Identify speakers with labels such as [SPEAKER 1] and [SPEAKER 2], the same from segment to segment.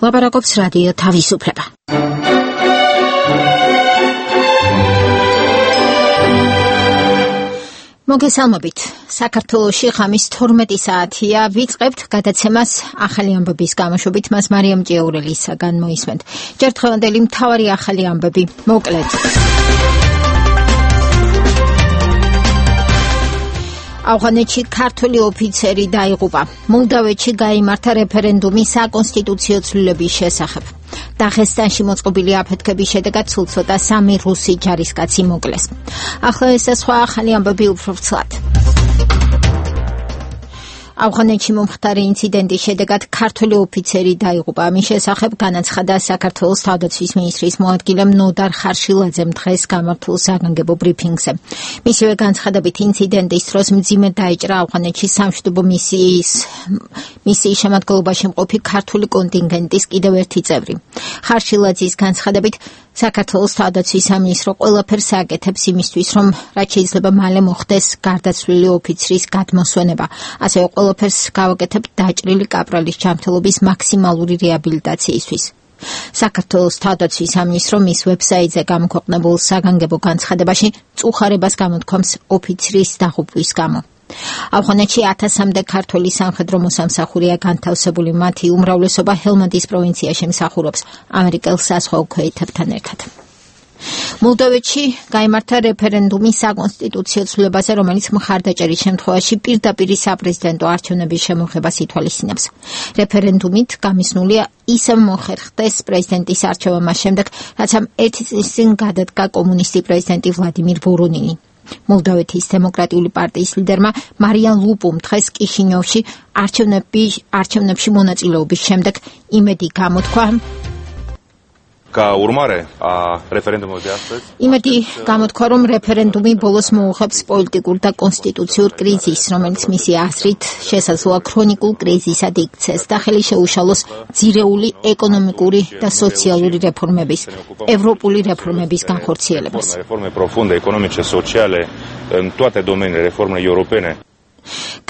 [SPEAKER 1] ლაპარაკობს რადიო თავისუფლება. მოგესალმებით. საქართველოში ხამის 12 საათია. ვიწყებთ გადაცემას ახალი ამბების გამოშვებით. მას მარიამ ჭიაურელისაგან მოისმენთ. ჯერ დღევანდელი მთავარი ახალი ამბები. მოკლედ. ავღანეთში ქართული ოფიცერი დაიღუპა. მოლდავეთში გაიმართა რეფერენდუმი საკონსტიტუციო ცვლილების შესახებ. დაღესტანში მოწყობილი აფეთქების შედეგად სულ ცოტა 3 რუსი ჯარისკაცი მოკლეს. ახლა ეს და სხვა ახალი ამბები უფრო ვრცლად. ავღანეთში მომხდარი ინციდენტის შედეგად ქართული ოფიცერი დაიღუპა. ამის შესახებ განაცხადა საქართველოს თავდაცვის მინისტრის მოადგილემ ნოდარ ხარშილაძემ დღეს გამართულ საგანგებო ბრიფინგზე. მისივე განცხადებით ინციდენტის დროს მძიმედ დაიჭრა ავღანეთში სამშვიდობო მისიის შემადგენლობაში მყოფი ქართული კონტინგენტის კიდევ ერთი წევრი. ხარშილაძის განცხადებით საქართველოს თავდაცვის სამინისტრო ყველაფერს აკეთებს იმისთვის, რომ რაც შეიძლება მალე მოხდეს გარდაცვლილი ოფიცრის გადმოსვენება. ასევე ყველაფერს გავაკეთებ დაჭრილი კაპრალის ჯანმრთელობის მაქსიმალური რეაბილიტაციისთვის. საქართველოს თავდაცვის სამინისტრო მის ვებსაიტზე გამოქვეყნებულ საგანგებო განცხადებაში წუხარებას გამოთქვამს ოფიცრის დაღუპვის გამო. ავღანეთში 1000-მდე ქართველი სამხედრო მოსამსახურეა განთავსებული, მათი უმრავლესობა ჰელმანდის პროვინციაში მსახურობს ამერიკელ საზღვაო ქვეითებთან ერთად. მოლდოვეთში გაიმართა რეფერენდუმი საკონსტიტუციო ცვლილებაზე, რომელიც მხარდაჭერის შემთხვევაში პირდაპირ საპრეზიდენტო არჩევნების შემოღებას ითვალისწინებს. რეფერენდუმით გამისნულია ისევ მოხერხდეს პრეზიდენტის არჩევა მას შემდეგ, რაც ამ ერთი წლის წინ გადადგა კომუნისტი პრეზიდენტი ვლადიმირ ვორონინი. მოლდოვეთის დემოკრატიული პარტიის ლიდერმა მარიან ლუპუმ დღეს კიშინიოვში არჩევნებში მონაწილეობის შემდეგ იმედი გამოთქვა, რომ რეფერენდუმი ბოლოს მოუღებს პოლიტიკურ და კონსტიტუციურ კრიზისს, რომელიც მისი აზრით შესაძლოა ქრონიკულ კრიზისად იქცეს და ხელი შეუშალოს ძირეული ეკონომიკური და სოციალური რეფორმების, ევროპული რეფორმების განხორციელებას.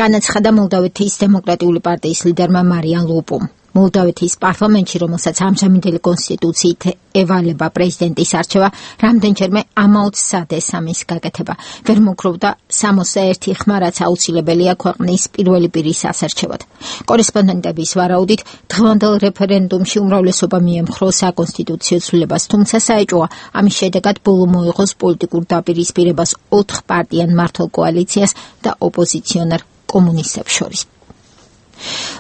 [SPEAKER 1] განაცხადა მოლდოვეთის დემოკრატიული პარტიის ლიდერმა მარიან ლუპუმ. მოლდოვეთის პარლამენტში, რომელსაც ამჟამინდელი კონსტიტუციით ევალება პრეზიდენტის არჩევა, რამდენჯერმე ამაოцსადეს ამის გაკეთება. ვერ მოგროვდა 61 ხმა, რაც აუცილებელია ქვეყნის პირველი პირის ასარჩევად. კორესპონდენტების ვარაუდით, დღევანდელ რეფერენდუმში უმრავლესობა მიემხრო საკონსტიტუციო ცვლილებას, თუმცა საეჭვოა ამის შედეგად ბოლო მოიღოს პოლიტიკურ დაპირისპირებას 4 პარტიან მართლ კოალიციას და ოპოზიციონერ კომუნისტებს შორის.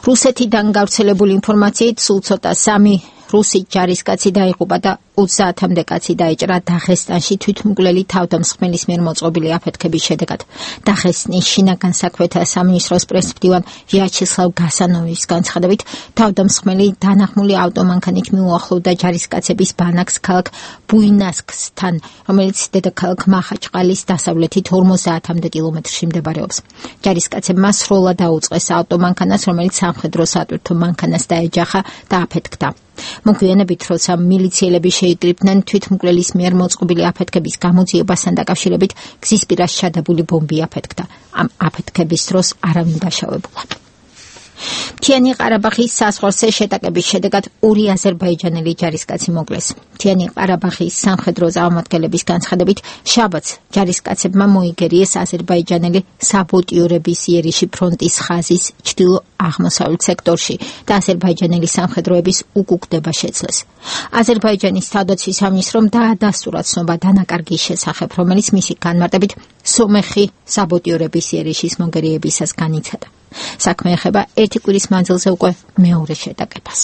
[SPEAKER 1] რუსეთიდან გავრცელებული ინფორმაციით სულ ცოტა 3 რუსი ჯარისკაცი დაიღუპა და 30-მდე კაცი დაიჭრა დაღესტანში თვითმკვლელი თავდამსხმელის მიერ მოწყობილი აფეთქების შედეგად. დაღესტნის შინაგან საქმეთა სამინისტროს პრესმდივან ვიაჩესლავ გასანოვის განცხადებით, თავდამსხმელი დანახმული ავტომანქანით მიუახლოვდა ჯარისკაცების ბანაკს ქალაქ ბუინასკსთან, რომელიც დედაქალაქ მახაჩყალის დასავლეთით 50-მდე კილომეტრში მდებარეობს. ჯარისკაცებმა სროლა დაუწყეს ავტომანქანას, რომელიც სამხედრო სატვირთო მანქანას დაეჯახა და აფეთქდა. მოგვიანებით, როცა მილიციელები შეიკრიბნენ თვითმკვლელის მიერ მოწყობილი აფეთქების გამოძიებასთან დაკავშირებით, გზის პირას ჩადებული ბომბი აფეთქდა. ამ აფეთქების დროს არავინ დაშავებულა. მთიანი ყარაბაღის საზღვარზე შეტაკების შედეგად 2 აზერბაიჯანელი ჯარისკაცი მოკლეს. მთიანი ყარაბაღის სამხედრო წარმომადგენლების განცხადებით, შაბათს ჯარისკაცებმა მოიგერიეს აზერბაიჯანელი საბოტიორების იერიში ფრონტის ხაზის ჩრდილო-აღმოსავლეთ სექტორში და აზერბაიჯანელი სამხედროების უკუგდება შეძლეს. აზერბაიჯანის თავდაცვის სამინისტრომ დაადასტურა ცნობა დანაკარგის შესახებ, რომელიც მისი განმარტებით სომეხი საბოტიორების იერიშის მოგერიებისას განიცადა. საქმე ეხება 1 კვირის მანძილზე უკვე მეორე შეტაკებას.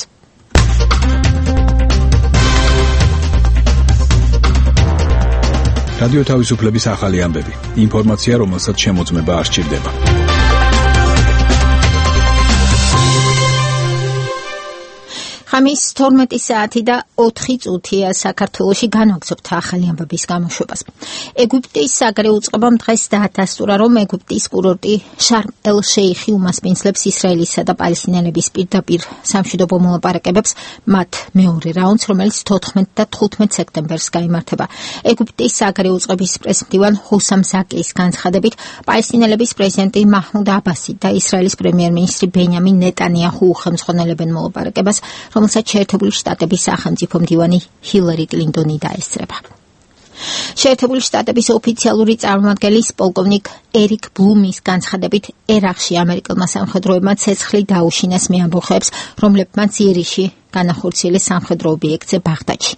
[SPEAKER 2] რადიო თავისუფლების ახალი ამბები. ინფორმაცია, რომელსაც შემოწმება არ სჭირდება.
[SPEAKER 1] ხამის 12 საათი და 4 წუთია საქართველოში განვაგრძობთ ახალი ამბების გამოშვებას. ეგვიპტის საგარეო უწყებამ დღეს დაადასტურა, რომ ეგვიპტის კურორტი შარმ-ელ-შეიხი უმასპინძლებს ისრაელისა და პალესტინელების პირდაპირ სამშვიდობო მოლაპარაკებებს მათ მეორე რაუნდს, რომელიც 14 და 15 სექტემბერს გაიმართება. ეგვიპტის საგარეო უწყების პრესმდივან ჰუსამ ზაკის განცხადებით, პალესტინელების პრეზიდენტი მაჰმუდ აბასი და ისრაელის პრემიერ-მინისტრი ბენიამინ ნეტანიაჰუ უხელმძღვანელებენ მოლაპარაკებას, რომელსაც შეერთებული შტატების სახელმწიფო მდივანი ჰილარი კლინტონი დაესწრება. შეერთებული შტატების ოფიციალური წარმომადგენლის პოლკოვნიკ ერიკ ბლუმის განცხადებით ერაყში ამერიკელმა სამხედროებმა ცეცხლი დაუშინეს მე ამბოხებს, რომლებმაც იერიში განახორციელეს სამხედრო ობიექტზე ბაღდადში.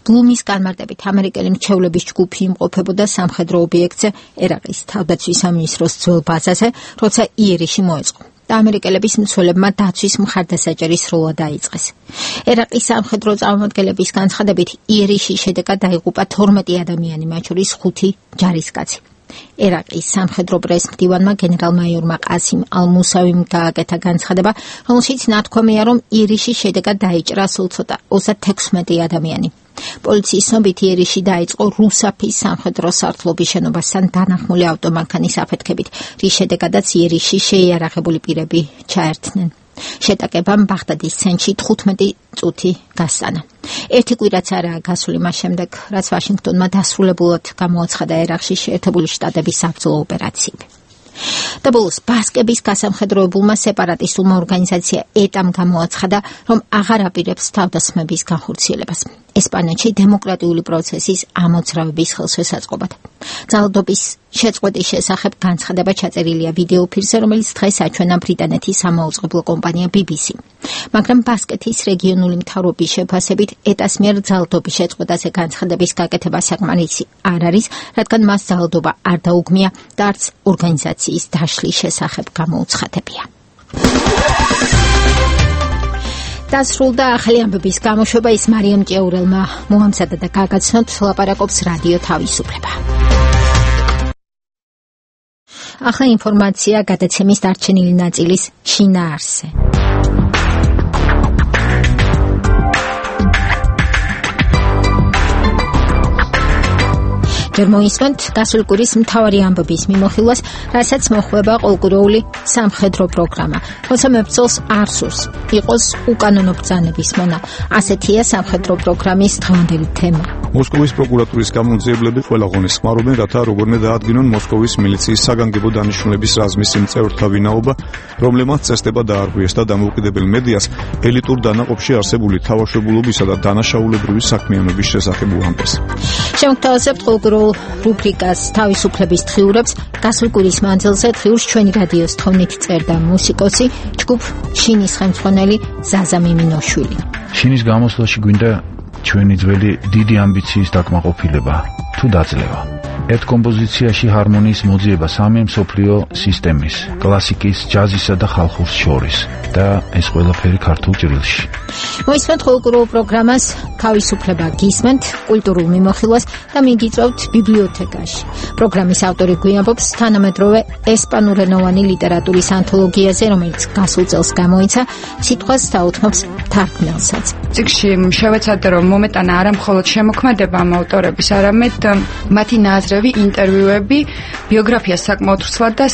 [SPEAKER 1] ბლუმის განმარტებით ამერიკელი მრჩევლების ჯგუფი იმყოფებოდა სამხედრო ობიექტზე ერაყის თავდაცვის სამინისტროს ძველ ბაზაზე, როცა იერიში მოეწყო და ამერიკელების მცველებმა დაცვის მხარდასაჭერი სროლა დაიწყეს. ერაყის სამხედრო წარმომადგენლების განცხადებით იერიში შედეგად დაიღუპა 12 ადამიანი, მათ შორის 5 ჯარისკაცი. ერაყის სამხედრო პრეს-მდივანმა გენერალ-მაიორმა ყასიმ ალ-მუსავიმ გააკეთა განცხადება, რომელშიც ნათქვამია, რომ იერიში შედეგად დაიჭრა სულ ცოტა 36 ადამიანი. პოლიციის ცნობით იერიში დაიწყო რუსაფის სამხედრო სარდლობის შენობასთან დანახმული ავტომანქანის აფეთქებით, რის შედეგადაც იერიში შეიარაღებული პირები ჩაერთნენ. შეტაკებამ ბაღდადის ცენტრში 15 წუთი გასტანა. ერთი კვირაც არაა გასული მას შემდეგ, რაც ვაშინგტონმა დასრულებულად გამოაცხადა ერაყში შეერთებული შტატების საბრძოლო ოპერაციები. და ბოლოს ბასკების გასამხედროებულმა სეპარატისტულმა ორგანიზაცია ეტამ გამოაცხადა, რომ აღარ აპირებს თავდასხმების განხორციელებას ესპანეთში დემოკრატიული პროცესის ამოძრავების ხელშესაწყობად. ძალადობის შეწყვეტის შესახებ განცხადება ჩაწერილია ვიდეო ფირზე, რომელიც დღეს აჩვენა ბრიტანეთის სამაუწყებლო კომპანია BBC. მაგრამ ბასკეთის რეგიონული მთავრობის შეფასებით ეტას მიერ ძალადობის შეწყვეტაზე განცხადების გაკეთება საკმარისი არ არის, რადგან მას ძალადობა არ დაუგმია და არც ორგანიზაციის დაშლის შესახებ გამოუცხადებია. დასრულდა ახალი ამბების გამოშვება, ის მარიამ ჭიაურელმა მოამზადა და გაგაცნოთ, ლაპარაკობს რადიო თავისუფლება. ახლა ინფორმაცია გადაცემის დარჩენილი ნაწილის შინაარსზე. ჯერ მოისმენთ გასული კვირის მთავარი ამბების მიმოხილვას, რასაც მოხვება ყოველკვირეული სამხედრო პროგრამა. როცა მებრძოლს არ სურს იყოს უკანონო ბრძანების მონა, ასეთია სამხედრო პროგრამის დღევანდელი თემა.
[SPEAKER 3] მოსკოვის პროკურატურის გამოძიებლები ყველა ღონეს ხმარობენ, რათა როგორმე დაადგინონ მოსკოვის მილიციის საგანგებო დანიშნულების რაზმის იმ წევრთა ვინაობა, რომლებმაც წესდება დაარღვიეს და დამოუკიდებელ მედიას ელიტურ დანაყოფში არსებული თავშობილობისა და დანაშაულებრივი საქმიანობის შესახებ უამბეს.
[SPEAKER 1] შემოგთავაზებთ ყოველკვირეულ რუბრიკას თავისუფლების დღიურებს. გასულ კვირის მანძილზე დღიურს ჩვენი რადიოს თხოვნით წერდა მუსიკოსი, ჯგუფ შინის ხელმძღვანელი ზაზა მიმინოშვილი.
[SPEAKER 4] შინის გამოსვლაში გვინდა ჩვენი ძველი დიდი ამბიციის დაკმაყოფილება თუ დაძლევა. ერთ კომპოზიციაში ჰარმონიის მოძიება სამი მსოფლიო სისტემის, კლასიკის, ჯაზისა და ხალხურის შორის და ეს ყველაფერი ქართულ ჭრილში.
[SPEAKER 1] მოისმენთ ყოველკვირეულ პროგრამას თავისუფლება გისმენთ კულტურულ მიმოხილვას და მიგიწევთ ბიბლიოთეკაში. პროგრამის ავტორი გვიამბობს თანამედროვე ესპანურენოვანი ლიტერატურის ანთოლოგიაზე, რომელიც გასულ წელს გამოიცა, სიტყვას დაუთმობს თარგმნელსაც.
[SPEAKER 5] წიგნში შევეცადე, რომ მომეტანა არა მხოლოდ შემოქმედება ამ ავტორების, არამედ მათი ნაზრები, ინტერვიუები, ბიოგრაფია საკმაოდ ვრცლად და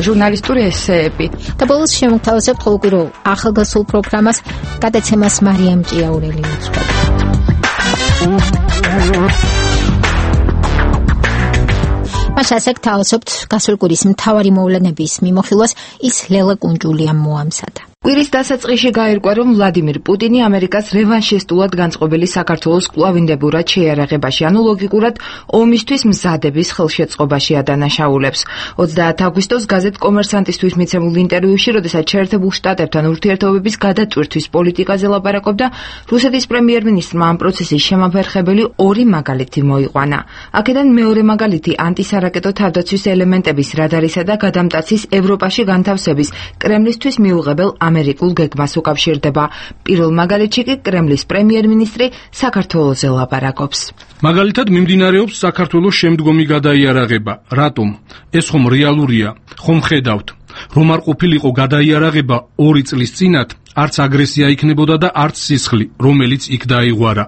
[SPEAKER 5] ჟურნალისტური ესეები.
[SPEAKER 1] და ბოლოს შემოგთავაზებთ ყოველკვირეულ ახალგაზრდულ პროგრამას, გადაცემას მარიამ ჭიაურელი უძღვება. მას ასეთ თავაზობთ გასული კვირის მთავარი მოვლენების მიმოხილვას, ის ლელა კუნჯულიამ მოამზადა.
[SPEAKER 5] კვირის დასაწყისში გაირკვა, რომ ვლადიმირ პუტინი ამერიკას რევანშისტულად განწყობილი საქართველოს კვლავინდებურად შეიარაღებაში, ანუ ლოგიკურად ომისთვის მზადების ხელშეწყობაში ადანაშაულებს. 30 აგვისტოს გაზეთ კომერსანტისთვის მიცემულ ინტერვიუში, როდესაც შეერთებულ შტატებთან ურთიერთობების გადაწყვეტის პოლიტიკაზე ლაპარაკობდა, რუსეთის პრემიერ-მინისტრმა ამ პროცესის შემაფერხებელი ორი მაგალითი მოიყვანა. აქედან მეორე მაგალითი ანტისარაკეტო თავდაცვის ელემენტების რადარისა და გადამტაცის ევროპაში განთავსების კრემლისთვის მიუღებელ ამერიკულ გეგმას უკავშირდება. პირველ მაგალითში კი კრემლის პრემიერ-მინისტრი საქართველოზე ლაპარაკობს.
[SPEAKER 6] მაგალითად მიმდინარეობს საქართველოს შემდგომი გადაიარაღება. რატომ? ეს ხომ რეალურია? ხომ ხედავთ, რომ არ ყოფილიყო გადაიარაღება 2 წლის წინათ, არც აგრესია იქნებოდა და არც სისხლი, რომელიც იქ დაიღვარა.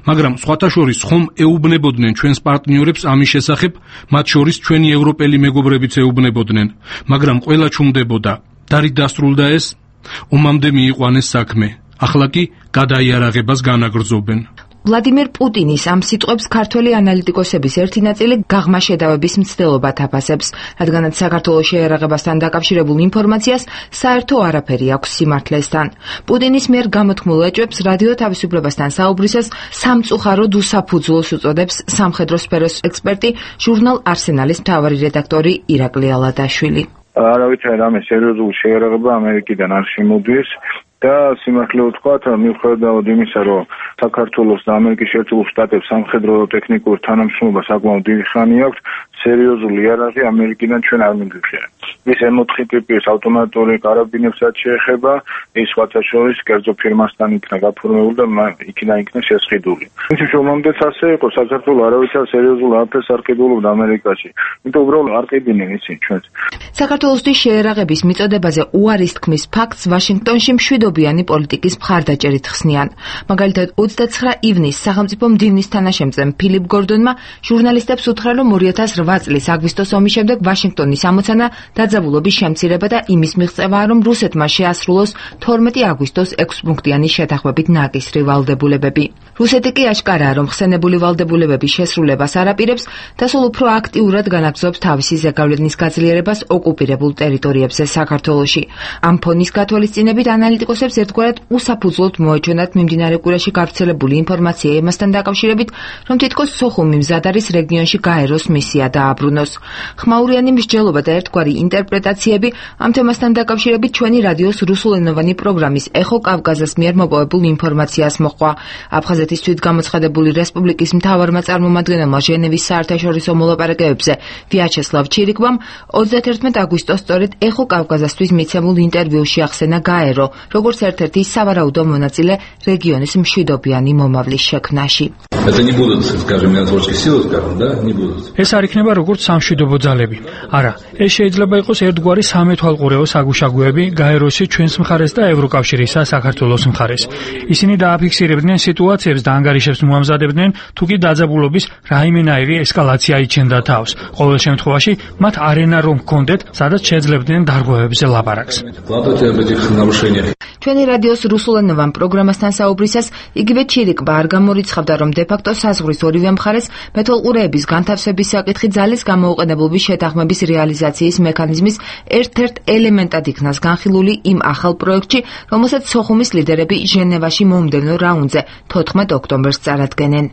[SPEAKER 6] მაგრამ სხვათა შორის ხომ ეუბნებოდნენ ჩვენს პარტნიორებს ამის შესახებ, მათ შორის ჩვენი ევროპელი მეგობრებიც ეუბნებოდნენ, მაგრამ ყველა ჩუმდებოდა. დარით დასრულდა ეს? ომამდე მიიყვანეს საქმე. ახლა კი გადაიარაღებას განაგრძობენ.
[SPEAKER 5] ვლადიმერ პუტინის ამ სიტყვებს ქართველი ანალიტიკოსების ერთი ნაწილი გაღმა შედავების მცდელობად აფასებს, რადგანაც საქართველოს შეიარაღებასთან დაკავშირებულ ინფორმაციას საერთო არაფერი აქვს სიმართლესთან. პუტინის მიერ გამოთქმულ ეჭვებს რადიო თავისუფლებასთან საუბრისას სამწუხაროდ უსაფუძვლოს უწოდებს სამხედრო სფეროს ექსპერტი, ჟურნალ არსენალის მთავარი რედაქტორი ირაკლი ალადაშვილი.
[SPEAKER 7] არავითარი რამე სერიოზული შეიარაღება ამერიკიდან არ შემოდის და სიმართლე ვთქვათ, მიუხედავად იმისა, რომ საქართველოს და ამერიკის შეერთებულ შტატებს სამხედრო ტექნიკურ თანამშრომლობა საკმაოდ დიდი ხანი აქვს, სერიოზული იარაღი ამერიკიდან ჩვენ არ მიგვიღია. ის M4 ტიპის ავტომატური კარაბინებსაც შეეხება, ის სხვათა შორის კერძო ფირმასთან იქნა გაფორმებული და იქიდან იქნა შესყიდული. თუმცა შემომდეც ასე იყო, საქართველოს არავითარ სერიოზულ არაფერს არ ყიდულობდა ამერიკაში. იმიტომ უბრალოდ არ ყიდნენ ისინი ჩვენს.
[SPEAKER 5] საქართველოსთვის შეიარაღების მიწოდებაზე უარის თქმის ფაქტს ვაშინგტონში მშვიდობიანი პოლიტიკის მხარდაჭერით ხსნიან. მაგალითად 29 ივნისს სახელმწიფო მდივნის თანაშემწემ ფილიპ გორდონმა ჟურნალისტებს უთხრა, რომ 2008 წლის აგვისტოს ომის შემდეგ ვაშინგტონის ამოცანა დაძაბულობის შემცირება და იმის მიღწევაა, რომ რუსეთმა შეასრულოს 12 აგვისტოს 6 პუნქტიანი შეთანხმებით ნაკისრი ვალდებულებები. რუსეთი კი აშკარაა, რომ ხსენებული ვალდებულებების შესრულებას არ აპირებს და სულ უფრო აქტიურად განაგრძობს თავისი ზეგავლენის გაძლიერებას ოკუპირებულ ტერიტორიებზე საქართველოში. ამ ფონის გათვალისწინებით ანალიტიკოსებს ერთგვარად უსაფუძვლოდ მოეჩვენათ მიმდინარე კვირაში გავრცელებული ინფორმაცია იმასთან დაკავშირებით, რომ თითქოს სოხუმი მზად არის რეგიონში გაეროს მისია დააბრუნოს. ხმაურიანი მსჯელობა და ერთგვარი ინტერპრეტაციები ამ თემასთან დაკავშირებით ჩვენი რადიოს რუსულენოვანი პროგრამის ეხო კავკაზას მიერ მოპოვებულ ინფორმაციას მოჰყვა. აფხაზეთის თვითგამოცხადებული რესპუბლიკის მთავარმა წარმომადგენელმა ჟენევის საერთაშორისო მოლაპარაკებებზე ვიაჩესლავ ჩირიკბამ 31 აგვისტოს სწორედ ეხო კავკაზასთვის მიცემულ ინტერვიუში ახსენა გაერო, როგორც ერთ-ერთი სავარაუდო მონაწილე რეგიონის მშვიდობიანი მომავლის შექმნაში.
[SPEAKER 8] ეს არ იქნება როგორც სამშვიდობო ძალები. არა, ეს შეიძლება იყოს ერთგვარი სამეთვალყურეო საგუშაგოები გაეროში ჩვენს მხარეს და ევროკავშირისა საქართველოს მხარეს. ისინი დააფიქსირებდნენ სიტუაციებს და ანგარიშებს მოამზადებდნენ, თუ კი დაძაბულობის რაიმენაირი ესკალაცია იჩენდა თავს. ყოველ შემთხვევაში მათარენა რომ ჰქონდეთ, სადაც შეძლებდნენ დარღვევებზე ლაპარაკს.
[SPEAKER 5] ჩვენი რადიოს რუსულენოვან პროგრამასთან საუბრისას იგივე ჩირიკბა არ გამორიცხავდა, რომ დე-ფაქტო საზღვრის ორივე მხარეს მეთვალყურეების განთავსების საკითხი ძალის გამოუყენებლობის შეთანხმების რეალიზაციის მექანიზმის ერთ-ერთ ელემენტად იქნას განხილული იმ ახალ პროექტში, რომელსაც სოხუმის ლიდერები ჟენევაში მომდევნო რაუნდზე 14 ოქტომბერს წარადგენენ.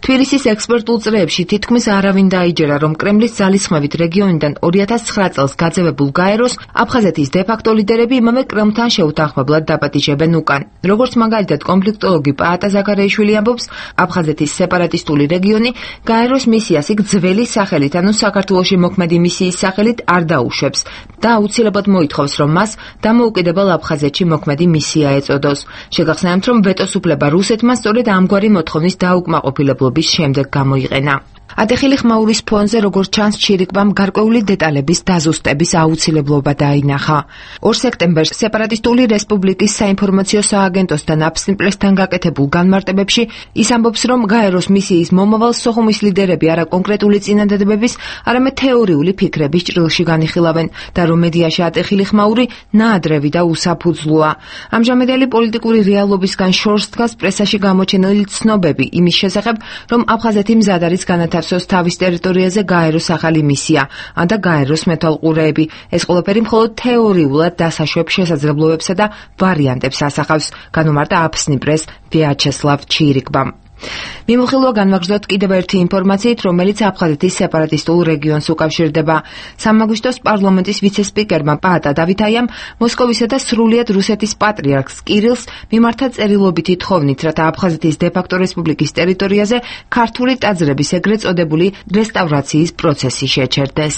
[SPEAKER 5] თბილისის ექსპერტულ წრეებში თითქმის არავინ დაიჯერა, რომ კრემლის ძალისხმევით რეგიონიდან 2009 წელს გაძევებულ გაეროს აფხაზეთის დე-ფაქტო ლიდერები იმავე კრემლთან შეუთანხმებლად დაპატიჟებენ უკან. როგორც მაგალითად კონფლიქტოლოგი პაატა ზაქარიაშვილი ამბობს, აფხაზეთის სეპარატისტული რეგიონი გაეროს მისიას იქ ძველი სახელით, ანუ საქართველოში მოქმედი მისიის სახელით არ დაუშვებს და აუცილებლად მოითხოვს, რომ მას დამოუკიდებელ აფხაზეთში მოქმედი მისია ეწოდოს. შეგახსენებთ, რომ ვეტოს უფლება რუსეთმა სწორედ ამგვარი მოთხოვნის დაუკმაყოფილებლობის შემდეგ გამოიყენა. ატეხილი ხმაურის ფონზე, როგორც ჩანს, ჩირიკბამ გარკვეული დეტალების დაზუსტების აუცილებლობა დაინახა. 2 სექტემბერს სეპარატისტული რესპუბლიკის საინფორმაციო სააგენტოსთან აფსნიპლესთან გაკეთებულ განმარტებებში ის ამბობს, რომ გაეროს მისიის მომავალს სოხუმის ლიდერები არა კონკრეტული წინადადებების, არამედ თეორიული ფიქრების ჭრილში განიხილავენ და რომ მედიაში ატეხილი ხმაური ნაადრევი და უსაფუძვლოა. ამჟამედელი პოლიტიკური რეალობისგან შორს დგას პრესაში გამოჩენილი ცნობები იმის შესახებ, რომ აფხაზეთი მზად არის განათავსოს თავის ტერიტორიაზე გაეროს ახალი მისია, ან და გაეროს მეთვალყურეები. ეს ყველაფერი მხოლოდ თეორიულად დასაშვებ შესაძლებლობებსა და ვარიანტებს ასახავს, განუმარტა აფსნიპრეს ვიაჩესლავ ჩირიკბამ. მიმოხილვა განვაგრძოთ კიდევ ერთი ინფორმაციით, რომელიც აფხაზეთის სეპარატისტულ რეგიონს უკავშირდება. 3 აგვისტოს პარლამენტის ვიცე-სპიკერმა პაატა დავითაიამ მოსკოვისა და სრულიად რუსეთის პატრიარქს კირილს მიმართა წერილობითი თხოვნით, რათა აფხაზეთის დე-ფაქტო რესპუბლიკის ტერიტორიაზე ქართული ტაძრების ეგრეთ წოდებული რესტავრაციის პროცესი შეჩერდეს.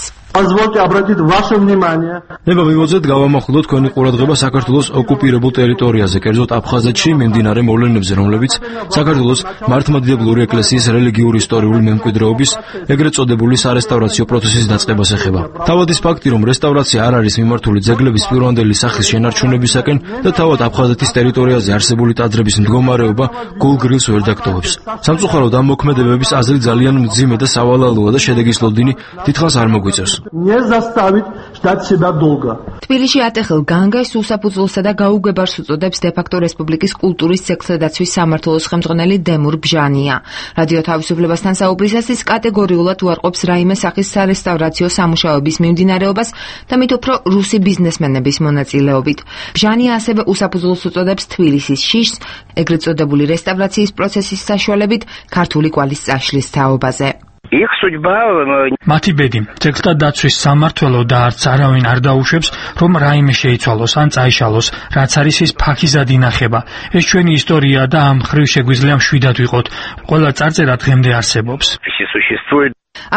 [SPEAKER 9] ნება მივოძეთ გავამახვილოთ თქვენი ყურადღება საქართველოს ოკუპირებულ ტერიტორიაზე, კერძოდ აფხაზეთში მიმდინარე მოვლენებზე, რომლებიც საქართველოს მართლმადიდებლური ეკლესიის რელიგიური ისტორიული მემკვიდრეობის ეგრეთ წოდებული სარესტავრაციო პროცესის დაწყებას ეხება. თავად ის ფაქტი, რომ რესტავრაცია არ არის მიმართული ძეგლების პირვანდელი სახის შენარჩუნებისაკენ და თავად აფხაზეთის ტერიტორიაზე არსებული ტაძრების მდგომარეობა გულგრილს ვერ დაგტოვებს. სამწუხაროდ ამ მოქმედებების აზრი ძალიან მძიმე და სავალალოა და შედეგის ლოდინი დიდხანს არ მოგვიწევს.
[SPEAKER 5] თბილისში ატეხილ განგას უსაფუძვლოსა და გაუგებარს უწოდებს დე-ფაქტო რესპუბლიკის კულტურის ძეგლთა დაცვის სამმართველოს ხელმძღვანელი დემურ ბჟანია. რადიო თავისუფლებასთან საუბრისას ის კატეგორიულად უარყოფს რაიმე სახის სარესტავრაციო სამუშაოების მიმდინარეობას და მით უფრო რუსი ბიზნესმენების მონაწილეობით. ბჟანია ასევე უსაფუძვლოს უწოდებს თბილისის შიშს, ეგრეთ წოდებული რესტავრაციის პროცესის საშუალებით ქართული კვალის წაშლის თაობაზე.
[SPEAKER 8] მათი ბედი ძეგლთა დაცვის სამმართველო და არც არავინ არ დაუშვებს, რომ რაიმე შეიცვალოს ან წაიშალოს, რაც არის ის ფაქიზად ინახება. ეს ჩვენი ისტორია და ამ ხრივ შეგვიძლია მშვიდად ვიყოთ. ყველა წარწერა დღემდე არსებობს.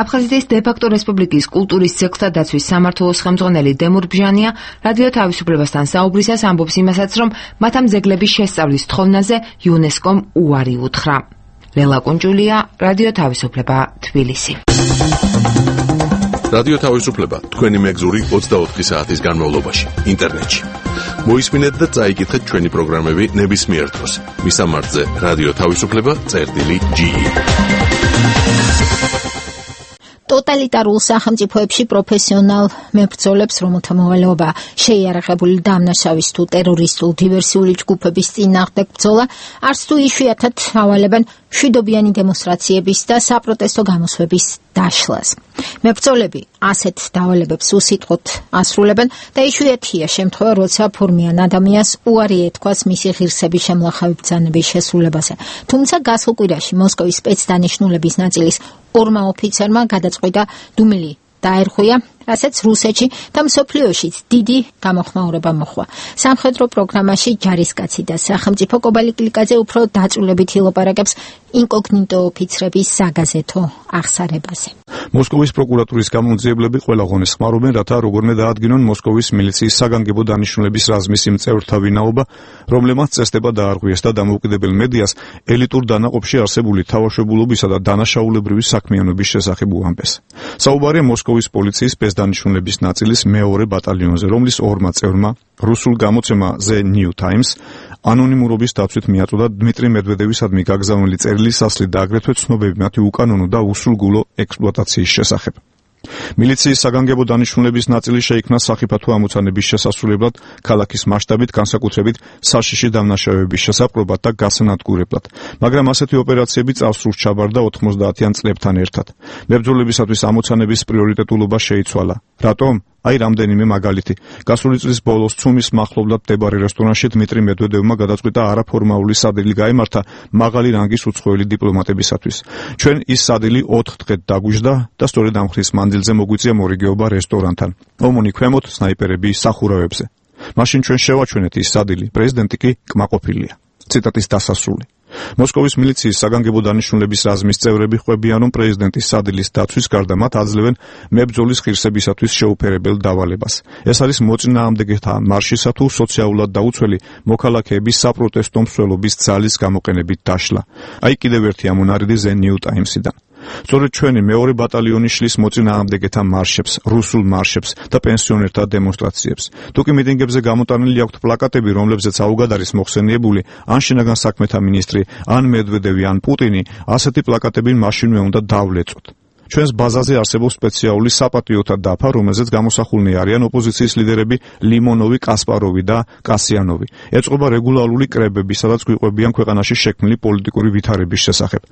[SPEAKER 5] აფხაზეთის დე-ფაქტო რესპუბლიკის კულტურის ძეგლთა დაცვის სამმართველოს ხელმძღვანელი დემურ ბჟანია რადიო თავისუფლებასთან საუბრისას ამბობს იმასაც, რომ მათ ამ ძეგლების შესწავლის თხოვნაზე იუნესკომ უარი უთხრა. ლელა კუნჯულია, რადიო თავისუფლება, თბილისი.
[SPEAKER 10] რადიო თავისუფლება თქვენი მეგზური 24 საათის განმავლობაში ინტერნეტში. მოისმინეთ და წაიკითხეთ ჩვენი პროგრამები ნებისმიერ დროს. მისამართზე რადიო თავისუფლება.ge.
[SPEAKER 1] ტოტალიტარულ სახელმწიფოებში პროფესიონალ მებრძოლებს, რომელთა მოვალეობა შეიარაღებული დამნაშავის თუ ტერორისტულ დივერსიული ჯგუფების წინააღმდეგ ბრძოლა, არც თუ იშვიათად ავალებენ მშვიდობიანი დემონსტრაციების და საპროტესტო გამოსვლების დაშლას. მებრძოლები ასეთ დავალებებს უსიტყვოდ ასრულებენ და იშვიათია შემთხვევა, როცა ფორმიან ადამიანს უარი ეთქვას მისი ღირსების შემლახავი ბრძანების შესრულებაზე. თუმცა გასულ კვირაში მოსკოვის სპეცდანიშნულების ნაწილის ორმა ოფიცერმა გადაწყვიტა დუმილი დაერღვია, რასაც რუსეთში და მსოფლიოშიც დიდი გამოხმაურება მოჰყვა. სამხედრო პროგრამაში ჯარისკაცი და სახელმწიფო კობალიკლიკაძე უფრო დაწვრილებით ილაპარაკებს ინკოგნიტო ოფიცრების საგაზეთო აღსარებაზე.
[SPEAKER 3] მოსკოვის პროკურატურის გამომძიებლები ყველა ღონეს ხმარობენ, რათა როგორმე დაადგინონ მოსკოვის მილიციის საგანგებო დანიშნულების რაზმის იმ წევრთა ვინაობა, რომლებმაც წესდება დაარღვიეს და დამოუკიდებელ მედიას ელიტურ დანაყოფში არსებული თავშებულობისა და დანაშაულებრივი საქმიანობის შესახებ უამბეს. საუბარია მოსკოვის პოლიციის სპეცდანიშნულების ნაწილის მეორე ბატალიონზე, რომლის ორმა წევრმა რუსულ გამოცემა The New Times ანონიმურობის დაცვით მიაწოდა დმიტრი მედვედევისადმი გაგზავნილი წერილის ასლი და აგრეთვე ცნობები მათი უკანონო და უსულგულო ექსპლუატაციის შესახებ. მილიციის საგანგებო დანიშნულების ნაწილი შეიქმნა სახიფათო ამოცანების შესასრულებლად, ქალაქის მასშტაბით, განსაკუთრებით საშიში დამნაშავეების შესაპყრობად და გასანადგურებლად, მაგრამ ასეთი ოპერაციები წარსულს ჩაბარდა 90-იან წლებთან ერთად. მებრძოლებისათვის ამოცანების პრიორიტეტულობა შეიცვალა. რატომ? აი რამდენიმე მაგალითი. გასული წლის ბოლოს ცუმის მახლობლად მდებარე რესტორანში დმიტრი მედვედევმა გადაწყვიტა არაფორმალური სადილი გაემართა მაღალი რანგის უცხოელი დიპლომატებისათვის. ჩვენ ის სადილი 4 დღედ დაგვიждდა და სწორედ ამ ხრის მანძილზე მოგვიწია მორიგეობა რესტორანთან. ომონი ქვემოთ სნაიპერები სახურავებზე. მაშინ ჩვენ შევაჩვენეთ ის სადილი, პრეზიდენტი კი კმაყოფილია. ციტატის დასასრული. მოსკოვის მილიციის საგანგებო დანიშნულების რაზმის წევრები ხვებიან, რომ პრეზიდენტის სადილის დაცვის გარდა მათ აძლევენ მებრძოლის ღირსებისათვის შეუფერებელ დავალებას. ეს არის მოწინააღმდეგეთა მარშისა თუ სოციალურად დაუცველი მოქალაქეების საპროტესტო მსვლელობის ძალის გამოყენებით დაშლა. აი კიდევ ერთი ამონარიდი The New Times-იდან. სწორედ ჩვენი მეორე ბატალიონი შლის მოწინააღმდეგეთა მარშებს, რუსულ მარშებს და პენსიონერთა დემონსტრაციებს. თუ კი მიტინგებზე გამოტანილი აქვთ პლაკატები, რომლებზეც აუგად არის მოხსენიებული ან შინაგან საქმეთა მინისტრი, ან მედვედევი, ან პუტინი, ასეთი პლაკატები მაშინვე უნდა დავლეწოთ. ჩვენს ბაზაზე არსებობს სპეციალური საპატიოთა დაფა, რომელზეც გამოსახულნი არიან ოპოზიციის ლიდერები ლიმონოვი, კასპაროვი და კასიანოვი. ეწყობა რეგულარული კრებები, სადაც გვიყვებიან ქვეყანაში შექმნილი პოლიტიკური ვითარების შესახებ.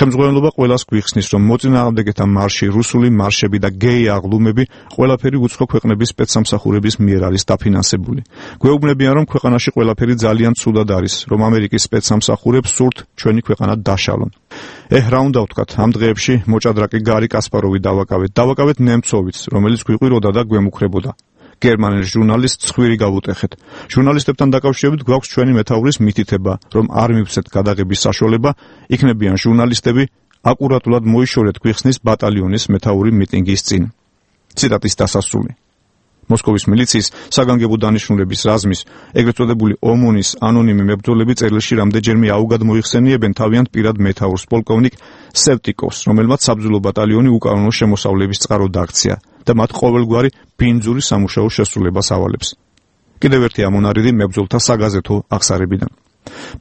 [SPEAKER 3] ხელმძღვანელობა ყველას გვიხსნის, რომ მოწინააღმდეგეთა მარში, რუსული მარშები და გეი აღლუმები ყველაფერი უცხო ქვეყნების სპეცსამსახურების მიერ არის დაფინანსებული. გვეუბნებიან, რომ ქვეყანაში ყველაფერი ძალიან ცუდად არის, რომ ამერიკის სპეცსამსახურებს სურთ ჩვენი ქვეყანა დაშალონ. რა უნდა ვთქვათ, ამ დღეებში მოჭადრაკი გარი კასპაროვი დავაკავეთ ნემცოვიც, რომელიც გვიყვიროდა და გვემუქრებოდა. გერმანელ ჟურნალისტს ხვირი გავუტეხეთ. ჟურნალისტებთან დაკავშირებით გვაქვს ჩვენი მეთაურის მითითება, რომ არ მივცეთ გადაღების საშუალება, იქნებიან ჟურნალისტები, აკურატულად მოიშორეთ გვიხსნის ბატალიონის მეთაური მიტინგის წინ. ციტატის დასასრული. მოსკოვის მილიციის საგანგებო დანიშნულების რაზმის, ეგრეთ წოდებული ომონის ანონიმი მებრძოლები წერილში რამდენჯერმე აუგად მოიხსენიებენ თავიანთ პირად მეთაურს პოლკოვნიკ სევტიკოვს, რომელმაც საბრძოლო ბატალიონი უკანონო შემოსავლების წყაროდ აქცია და მათ ყოველგვარი ბინძური სამუშაო შესრულებას ავალებს. კიდევ ერთი ამონარიდი მებრძოლთა საგაზეთო აღსარებიდან.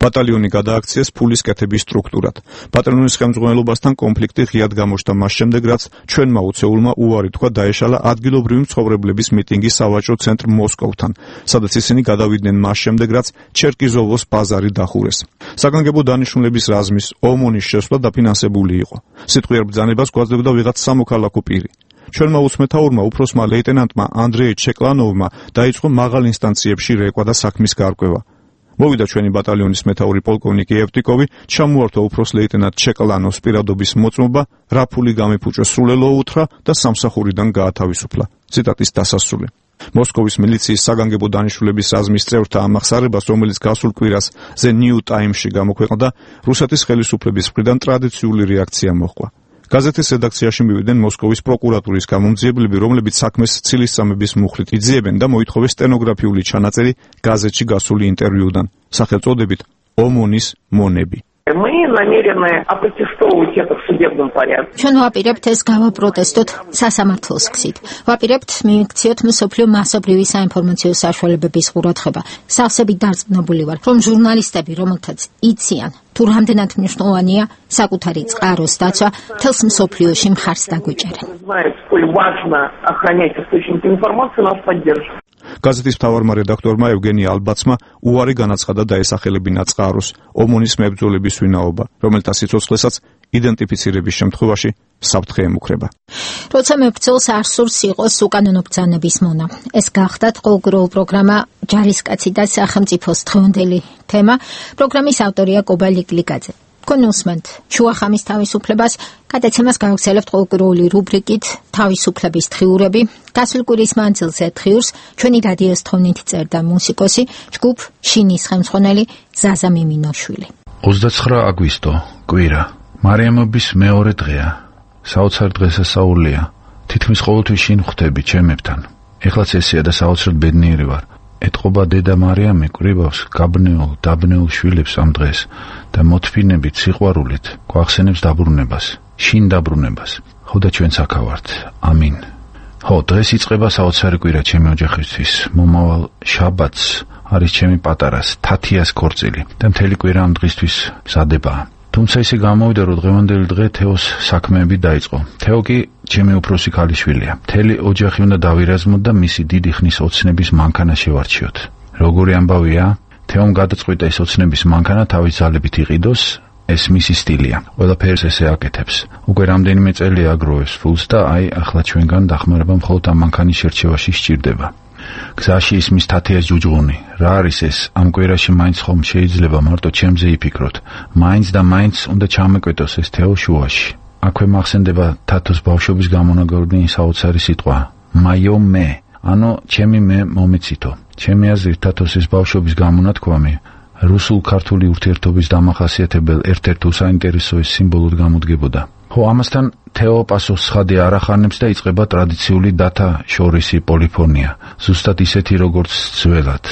[SPEAKER 3] ბატალიონი გადააქციეს ფულის კეთების სტრუქტურად. ბატალიონის ხელმძღვანელობასთან კონფლიქტი ღიად გამოჩნდა მას შემდეგ, რაც ჩვენმა უცეულმა უარი თქვა დაეშალა ადგილობრივი მცხოვრებლების მიტინგი სავაჭრო ცენტრ მოსკოვთან, სადაც ისინი გადავიდნენ მას შემდეგ, რაც ჩერკიზოვოს ბაზარი დახურეს. საგანგებო დანიშნულების რაზმის ომონის შესვლა დაფინანსებული იყო. სიტყვიერ ბრძანებას გვაძლევდა ვიღაც სამოქალაქო პირი. ჩვენმა უცმეთაურმა უფროსმა ლეიტენანტმა ანდრეი ჩეკლანოვმა დაიწყო მაღალ ინსტანციებში რეკვა და საქმის გარკვევა. მოვიდა ჩვენი ბატალიონის მეთაური პოლკოვნიკი ევტიკოვი, ჩამოართვა უფროს ლეიტენანტ ჩეკლანოვს პირადობის მოწმობა, რა ფული გამიფუჭოს სრულელო უთხრა და სამსახურიდან გაათავისუფლა. ციტატის დასასრული. მოსკოვის მილიციის საგანგებო დანიშნულების რაზმის წევრთა ამახსარებას, რომელიც გასულ კვირას The New Times-ში გამოქვეყნდა, რუსეთის ხელისუფლების მხრიდან ტრადიციული რეაქცია მოჰყვა. გაზეთის რედაქციაში მივიდნენ მოსკოვის პროკურატურის გამომძიებლები, რომლებიც საქმეს ცილისწამების მუხლით იძიებენ და მოითხოვეს სტენოგრაფიული ჩანაწერი გაზეთში გასული ინტერვიუდან, სახელწოდებით ომონის მონები.
[SPEAKER 11] Мы намерены опротестовывать это в судебном порядке.
[SPEAKER 1] ჩვენ ვაპირებთ ეს გავაპროტესტოთ სასამართლოს გზით. ვაპირებთ მიიქციოთ მსოფლიო მასობრივი საინფორმაციო საშუალებების ყურადღება. სავსებით დარწმუნებული ვარ, რომ ჟურნალისტები, რომელთაც იციან, თუ რამდენად მნიშვნელოვანია საკუთარი წყაროს დაცვა, მთელს მსოფლიოში მხარს დაგვიჭერენ.
[SPEAKER 3] გაზეთის მთავარმა რედაქტორმა ევგენი ალბაცმა უარი განაცხადა დაესახელებინა წყაროს ომონის მებრძოლების ვინაობა, რომელთა სიცოცხლესაც იდენტიფიცირების შემთხვევაში საფრთხე ემუქრება.
[SPEAKER 1] როცა მებრძოლს არ სურს იყოს უკანონო ბრძანების მონა. ეს გახდათ ყოველდღიური პროგრამა ჯარისკაცი და სახელმწიფოს დღევანდელი თემა. პროგრამის ავტორია კობა ლიკლიკაძე. თქვენ უსმენთ შუახამის თავისუფლებას, გადაცემას გავაგზავნებთ ყოველდღიური რუბრიკით თავისუფლების დღიურები. გასულ კვირის მანძილზე დღიურს ჩვენი რადიოს თხოვნით წერდა მუსიკოსი, ჯგუფ შინის ხელმძღვანელი ზაზა მიმინოშვილი.
[SPEAKER 4] 29 აგვისტო, კვირა. მარიამობის მეორე დღეა. საოცარ დღესასწაულია. თითქმის ყოველთვის შინ ხვდები ჩემებთან. ეხლაც ესეა და საოცრად ბედნიერი ვარ. ეთყობა დედა მარიამი კვირავს გაბნეულ, დაბნეულ შვილებს ამ დღეს და მოთფინებით, სიყვარულით გვახსენებს დაბრუნებას, შინ დაბრუნებას. ხო და ჩვენც აქ ვართ. ამინ. ხო, დღეს იწყება საოცარი კვირა ჩემი ოჯახისთვის. მომავალ შაბათს არის ჩემი პატარას, თათიას ქორწილი და მთელი კვირა ამ დღისთვის მზადებაა. თუმცა ისე გამოვიდა, რომ დღევანდელი დღე თეოს საქმეები დაიწყო. თეო კი ჩემი უფროსი ქალიშვილია. მთელი ოჯახი უნდა დავირაზმოთ და მისი დიდი ხნის ოცნების მანქანა შევარჩიოთ. როგორი ამბავია, თეომ გადაწყვიტა ეს ოცნების მანქანა თავის ძალებით იყიდოს, ეს მისი სტილია. ყველაფერს ესე აკეთებს. უკვე რამდენიმე წელია აგროვებს ფულს და აი ახლა ჩვენგან დახმარება მხოლოდ ამ მანქანის შერჩევაში სჭირდება. გზაში ისმის თათიას ჯუჯღუნი. რა არის ეს? ამ კვირაში მაინც ხომ შეიძლება მარტო ჩემზე იფიქროთ. მაინც და მაინც უნდა ჩამეკვეთოს ეს თეო შუაში. აქვე მახსენდება თათოს ბავშვობის გამონაგრენი საოცარი სიტყვა. მაიო მე. ანუ ჩემი მე მომეცითო. ჩემი აზრით თათოს ეს ბავშვობის გამონათქვამი რუსულ-ქართული ურთიერთობის დამახასიათებელ ერთ-ერთ უსაინტერესო სიმბოლოდ გამოდგებოდა. ხო, ამასთან თეო პასუხს ხადი არ ახარნებს და იწყება ტრადიციული დათა შორისი პოლიფონია, ზუსტად ისეთი როგორც ძველად.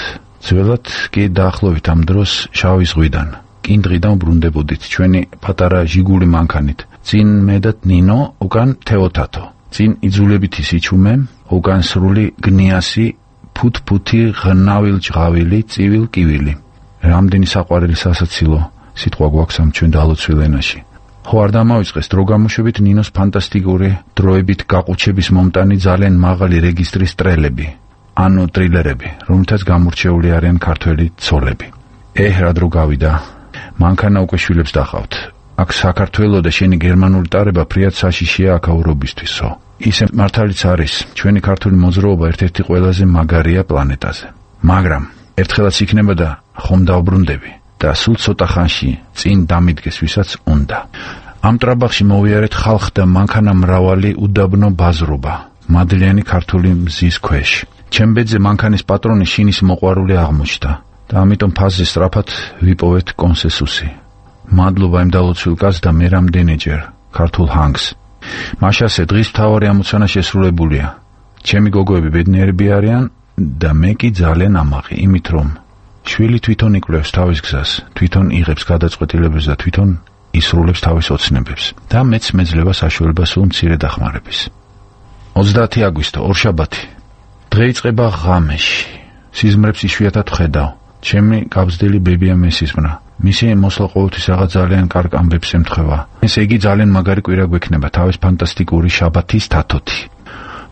[SPEAKER 4] ძველად კი დაახლოებით ამ დროს შავი ზღვიდან, კინდღიდან ბრუნდებოდით ჩვენი პატარა ჟიგული მანქანით. წინ მე და ნინო, უკან თეო თათო. წინ იძულებით ისიჩუმე, უკან სრული გნიასი, ფუთფუთი, ღნავილ ჭღავილი, წივილ კივილი. რამდენი საყვარელი სასაცილო სიტყვა გვაქვს ამ ჩვენ დალოცვილ ენაში. ხო, არ დამავიწყეს დრო გამოშვებით ნინოს ფანტასტიკური დროებით გაყუჩების მომტანი ძალიან მაღალი რეგისტრის ტრელები, ანუ ტრილერები, რომელთაც გამორჩეული არიან ქართველი ცოლები. რა დრო გავიდა. მანქანა უკვე შვილებს დახავთ. აქ საქართველო და შენი გერმანული ტარება ფრიად საშიშია აქაურობისთვისო. ისე მართალიც არის, ჩვენი ქართული მოძრაობა ერთ-ერთი ყველაზე მაგარია პლანეტაზე. მაგრამ ერთხელაც იქნება და ხომ დავბრუნდები და სულ ცოტა ხანში წინ დამიდგეს ვისაც უნდა. ამ ტრაბახში მოვიარეთ ხალხ და მანქანა მრავალი უდაბნო ბაზრობა, მადლიანი ქართული მზის ქვეშ. ჩემ ბედზე მანქანის პატრონი შინის მოყვარული აღმოჩნდა და ამიტომ ფაზზე სწრაფად ვიპოვეთ კონსესუსი. მადლობა იმ დალოცვილ კაცს და მე რამდენჯერ ქართულ ჰანგს. მაშასე დღის მთავარი ამოცანა შესრულებულია. ჩემი გოგოები ბედნიერები არიან და მე კი ძალიან ამაყი, იმით რომ შვილი თვითონ იკვლევს თავის გზას, თვითონ იღებს გადაწყვეტილებებს და თვითონ ისრულებს თავის ოცნებებს და მეც მეძლება საშუალება სულ მცირე დახმარების. 30 აგვისტო, ორშაბათი. დღე იწყება ღამეში. სიზმრებს იშვიათად ვხედავ. ჩემი გაბზდილი ბებია მესისმრა. მისი მოსვლა ყოველთვის რაღაც ძალიან კარგ ამბებს ემთხვევა. ესე იგი ძალიან მაგარი კვირა გვექნება თავის ფანტასტიკური შაბათის თათოთი.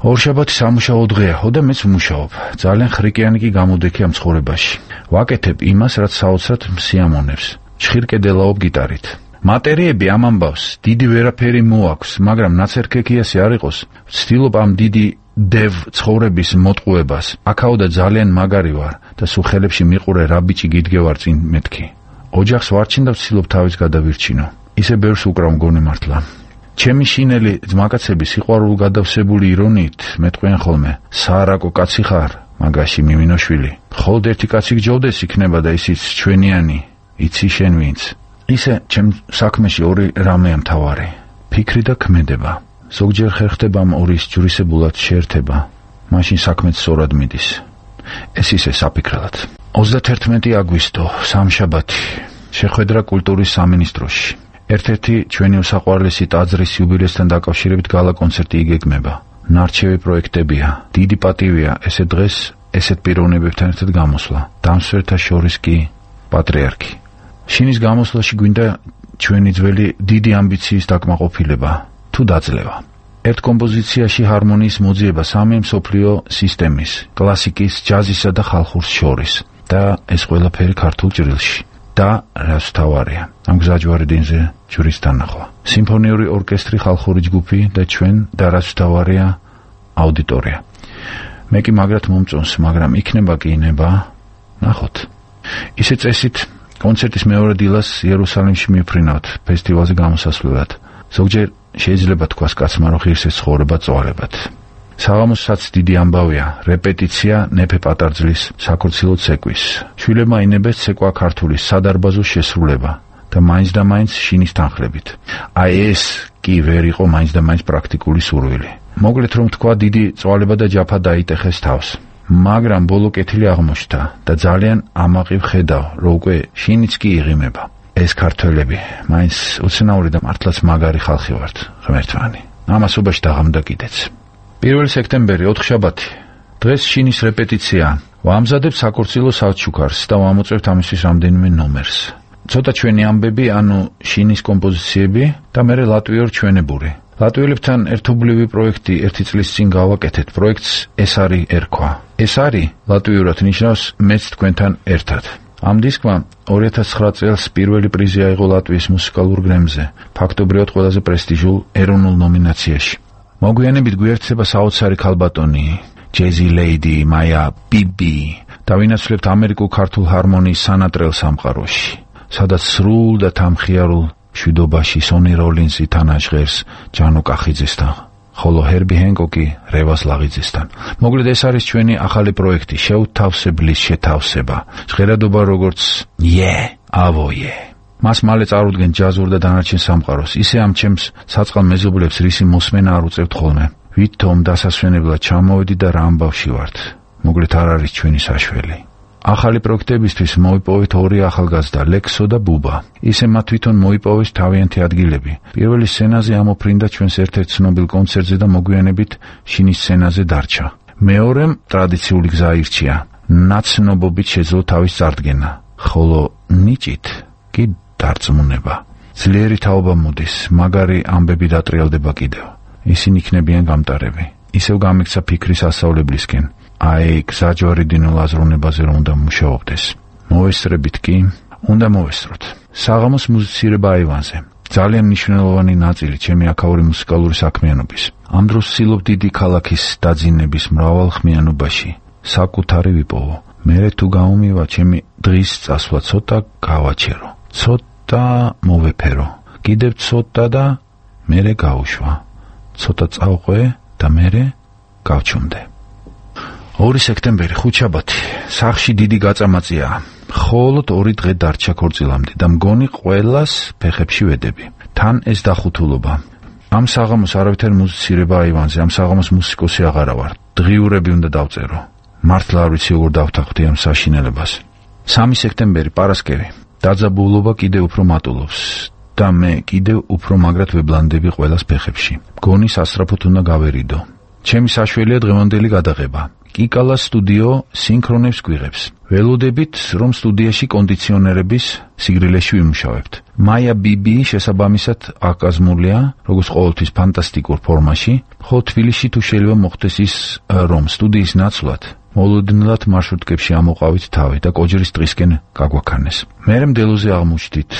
[SPEAKER 4] ორ შაბათი სამუშაო დღეა, და მეც ვმუშაობ. ძალიან ხრიკიანი კი გამოდექი ამ ცხოვრებაში. ვაკეთებ იმას, რაც საოცრად მსიამოვნებს. ჭხირკედელაობ გიტარით. მატერიები ამ ამბავს დიდი ვერაფერი მოაქვს, მაგრამ ნაცერქექიასი არ იყოს. ვცდილობ ამ დიდი დევ ცხოვრების მოტყუებას. აქაოდა ძალიან მაგარი ვარ და სულ ხელებში მიყურე რა ბიჭი გიდგევარ წინ მეთქი. ოჯახს ვარჩინ და ვცდილობ თავის გადავირჩინო. ისე ბევრს უკრავ მგონი მართლა. ჩემი შინელი ძმაკაცები სიყვარულ გადავსებული ირონიით მეტყვიან ხოლმე: საარაკო კაცი ხარ, მაგაში მიმინოშვილი. მხოლოდ ერთი კაცი გჯობდეს იქნება და ისიც ჩვენიანი, იცი შენ ვინც. ისე ჩემ საქმეში ორი რამეა მთავარი: ფიქრი და ქმედება. ზოგჯერ ხერხდება ამ ორის ჯვრისებულად შეერთება, მაშინ საქმეც სწორად მიდის. ეს ისე საფიქრად. 31 აგვისტო, სამშაბათი. შეხვედრა კულტურის სამინისტროში. ერთ-ერთი ჩვენი უსაყვარლესი ტაძრის იუბილესთან დაკავშირებით გალა კონცერტი იგეგმება. ნარჩევი პროექტებია. დიდი პატივია ესე დღეს ესეთ პიროვნებებთან ერთად გამოსვლა. დამსვერთა შორის კი პატრიარქი. შინის გამოსვლაში გვინდა ჩვენი ძველი დიდი ამბიციის დაკმაყოფილება თუ დაძლევა. ერთ კომპოზიციაში ჰარმონიის მოძიება სამი მსოფლიო სისტემის, კლასიკის, ჯაზისა და ხალხურს შორის და ეს ყველაფერი ქართულ ჭრილში. და რაც თავარია, ამ გზაჯვარი დინზე ჯვრის თანახვა. სიმფონიური ორკესტრი, ხალხური ჯგუფი და ჩვენ და რაც თავარია აუდიტორია. მე კი მაგრად მომწონს, მაგრამ იქნება კი ინება, ნახოთ. ისე წესით კონცერტის მეორე დილას იერუსალიმში მივფრინავთ ფესტივალზე გამოსასვლელად. ზოგჯერ შეიძლება თქვას კაცმა, რომ ღირს ეს ცხოვრება წვალებად. საღამოსაც დიდი ამბავია, რეპეტიცია ნეფე პატარძლის საქორცილო ცეკვის. შვილებმა ინებეს ცეკვა ქართულის სადარბაზო შესრულება და მაინც და მაინც შინის თანხლებით. აი ეს კი ვერ იყო მაინც და მაინც პრაქტიკული სურვილი. მოკლედ რომ თქვა, დიდი წვალება და ჯაფა დაიტეხეს თავს. მაგრამ ბოლო კეთილი აღმოჩნდა და ძალიან ამაყი ვხედავ, რომ უკვე შინიც კი იღიმება. ეს ქართველები მაინც უცნაური და მართლაც მაგარი ხალხი ვართ, ღმერთვანი. ამასობაში დაღამდა კიდეც. 1 სექტემბერი, 4 შაბათი. დღეს შინის რეპეტიცია. ვამზადებ საქორცილო საჩუქარს და ვამოწევთ ამისთვის რამდენიმე ნომერს. ცოტა ჩვენი ამბები, ანუ შინის კომპოზიციები და მერე ლატვიურ ჩვენებური. ლატვიელებთან ერთობლივი პროექტი ერთი წლის წინ გავაკეთეთ. პროექტს ეს არის ერქვა. ეს არის ლატვიურად ნიშნავს მეც თქვენთან ერთად. ამ დისკმა 2009 წელს პირველი პრიზი აიღო ლატვიის მუსიკალურ გრემზე, ფაქტობრივად ყველაზე პრესტიჟულ ეროვნულ ნომინაციაში. მოგვიანებით გვიერთდება საოცარი ქალბატონი, ჯეზი ლეიდი, მაია ბიბი და ვინაცვლებთ ამერიკულ ქართულ ჰარმონიის სანატრელ სამყაროში, სადაც სრულ და თამხიარულ მშვიდობაში სონი როლინსი თანაჟღერს ჯანო კახიძესთან, ხოლო ჰერბი ჰენკოკი რევას ლაღიძესთან. მოკლედ ეს არის ჩვენი ახალი პროექტი, შეუთავსებლის შეთავსება, ჟღერადობა როგორც ავოიე. მას მალე წარუდგენ ჯაზურ და დანარჩენ სამყაროს. ისე ამ ჩემს საწყალ მეზობლებს რისი მოსმენა არ უწევთ ხოლმე. ვითომ დასასვენებლად ჩამოვედი და რა ამბავში ვართ. მოკლედ არ არის ჩვენი საშველი. ახალი პროექტებისთვის მოიპოვეთ ორი ახალგაზრდა, ლექსო და ბუბა. ისე მათ თვითონ მოიპოვეს თავიანთი ადგილები. პირველი სცენაზე ამოფრინდა ჩვენს ერთ-ერთ ცნობილ კონცერტზე და მოგვიანებით შინის სცენაზე დარჩა. მეორემ ტრადიციული გზა ირჩია. ნაცნობობით შეძლო თავის წარდგენა, ხოლო ნიჭით კი დარწმუნება. ძლიერი თაობა მოდის, მაგარი ამბები დატრიალდება კიდევ. ისინი იქნებიან გამტარები. ისევ გამიქცა ფიქრის ასწავლებლისკენ. აი, გზაჯვარი დინულ აზროვნებაზე რომ უნდა მუშაობდეს. მოვესწრებით კი, უნდა მოვესწროთ. საღამოს მუსიცირება აივანზე. ძალიან მნიშვნელოვანი ნაწილი ჩემი აქაური მუსიკალური საქმიანობის. ამ დროს ვცდილობ დიდი ქალაქის დაძინების მრავალხმიანობაში საკუთარი ვიპოვო. მერე თუ გამომივა ჩემი დღის წასვლა ცოტა გავაჩერო. ცოტა მოვეფერო. კიდევ ცოტა და მერე გავუშვა. ცოტა წავყვე და მერე გავჩუმდე. 2 სექტემბერი, ხუთშაბათი. სახლში დიდი გაწამაწიაა. მხოლოდ 2 დღე დარჩა ქორწილამდე და მგონი ყველას ფეხებში ვედები. თან ეს დახუთულობა. ამ საღამოს არავითარი მუსიცირება აივანზე, ამ საღამოს მუსიკოსი აღარა ვარ. დღიურები უნდა დავწერო. მართლა არ ვიცი როგორ დავთანხმდი ამ საშინელებას. 3 სექტემბერი, პარასკევი. დაძაბულობა კიდევ უფრო მატულობს და მე კიდევ უფრო მაგრად ვებლანდები ყველას ფეხებში. მგონი სასწრაფოდ უნდა გავერიდო. ჩემი საშველია დღევანდელი გადაღება. კიკალა სტუდიო სინქრონებს გვიღებს. ველოდებით, რომ სტუდიაში კონდიციონერების სიგრილეში ვიმუშავებთ. მაია ბიბი შესაბამისად აკაზმულია, როგორც ყოველთვის ფანტასტიკურ ფორმაში, ხოლო თბილისში თუ შეიძლება მოხდეს ის, რომ სტუდიის ნაცვლად მოლოდინლად მარშრუტკებში ამოყავით თავი და კოჯრის დღისკენ გაგვაქანეს. მერე მდელოზე აღმოჩნდით.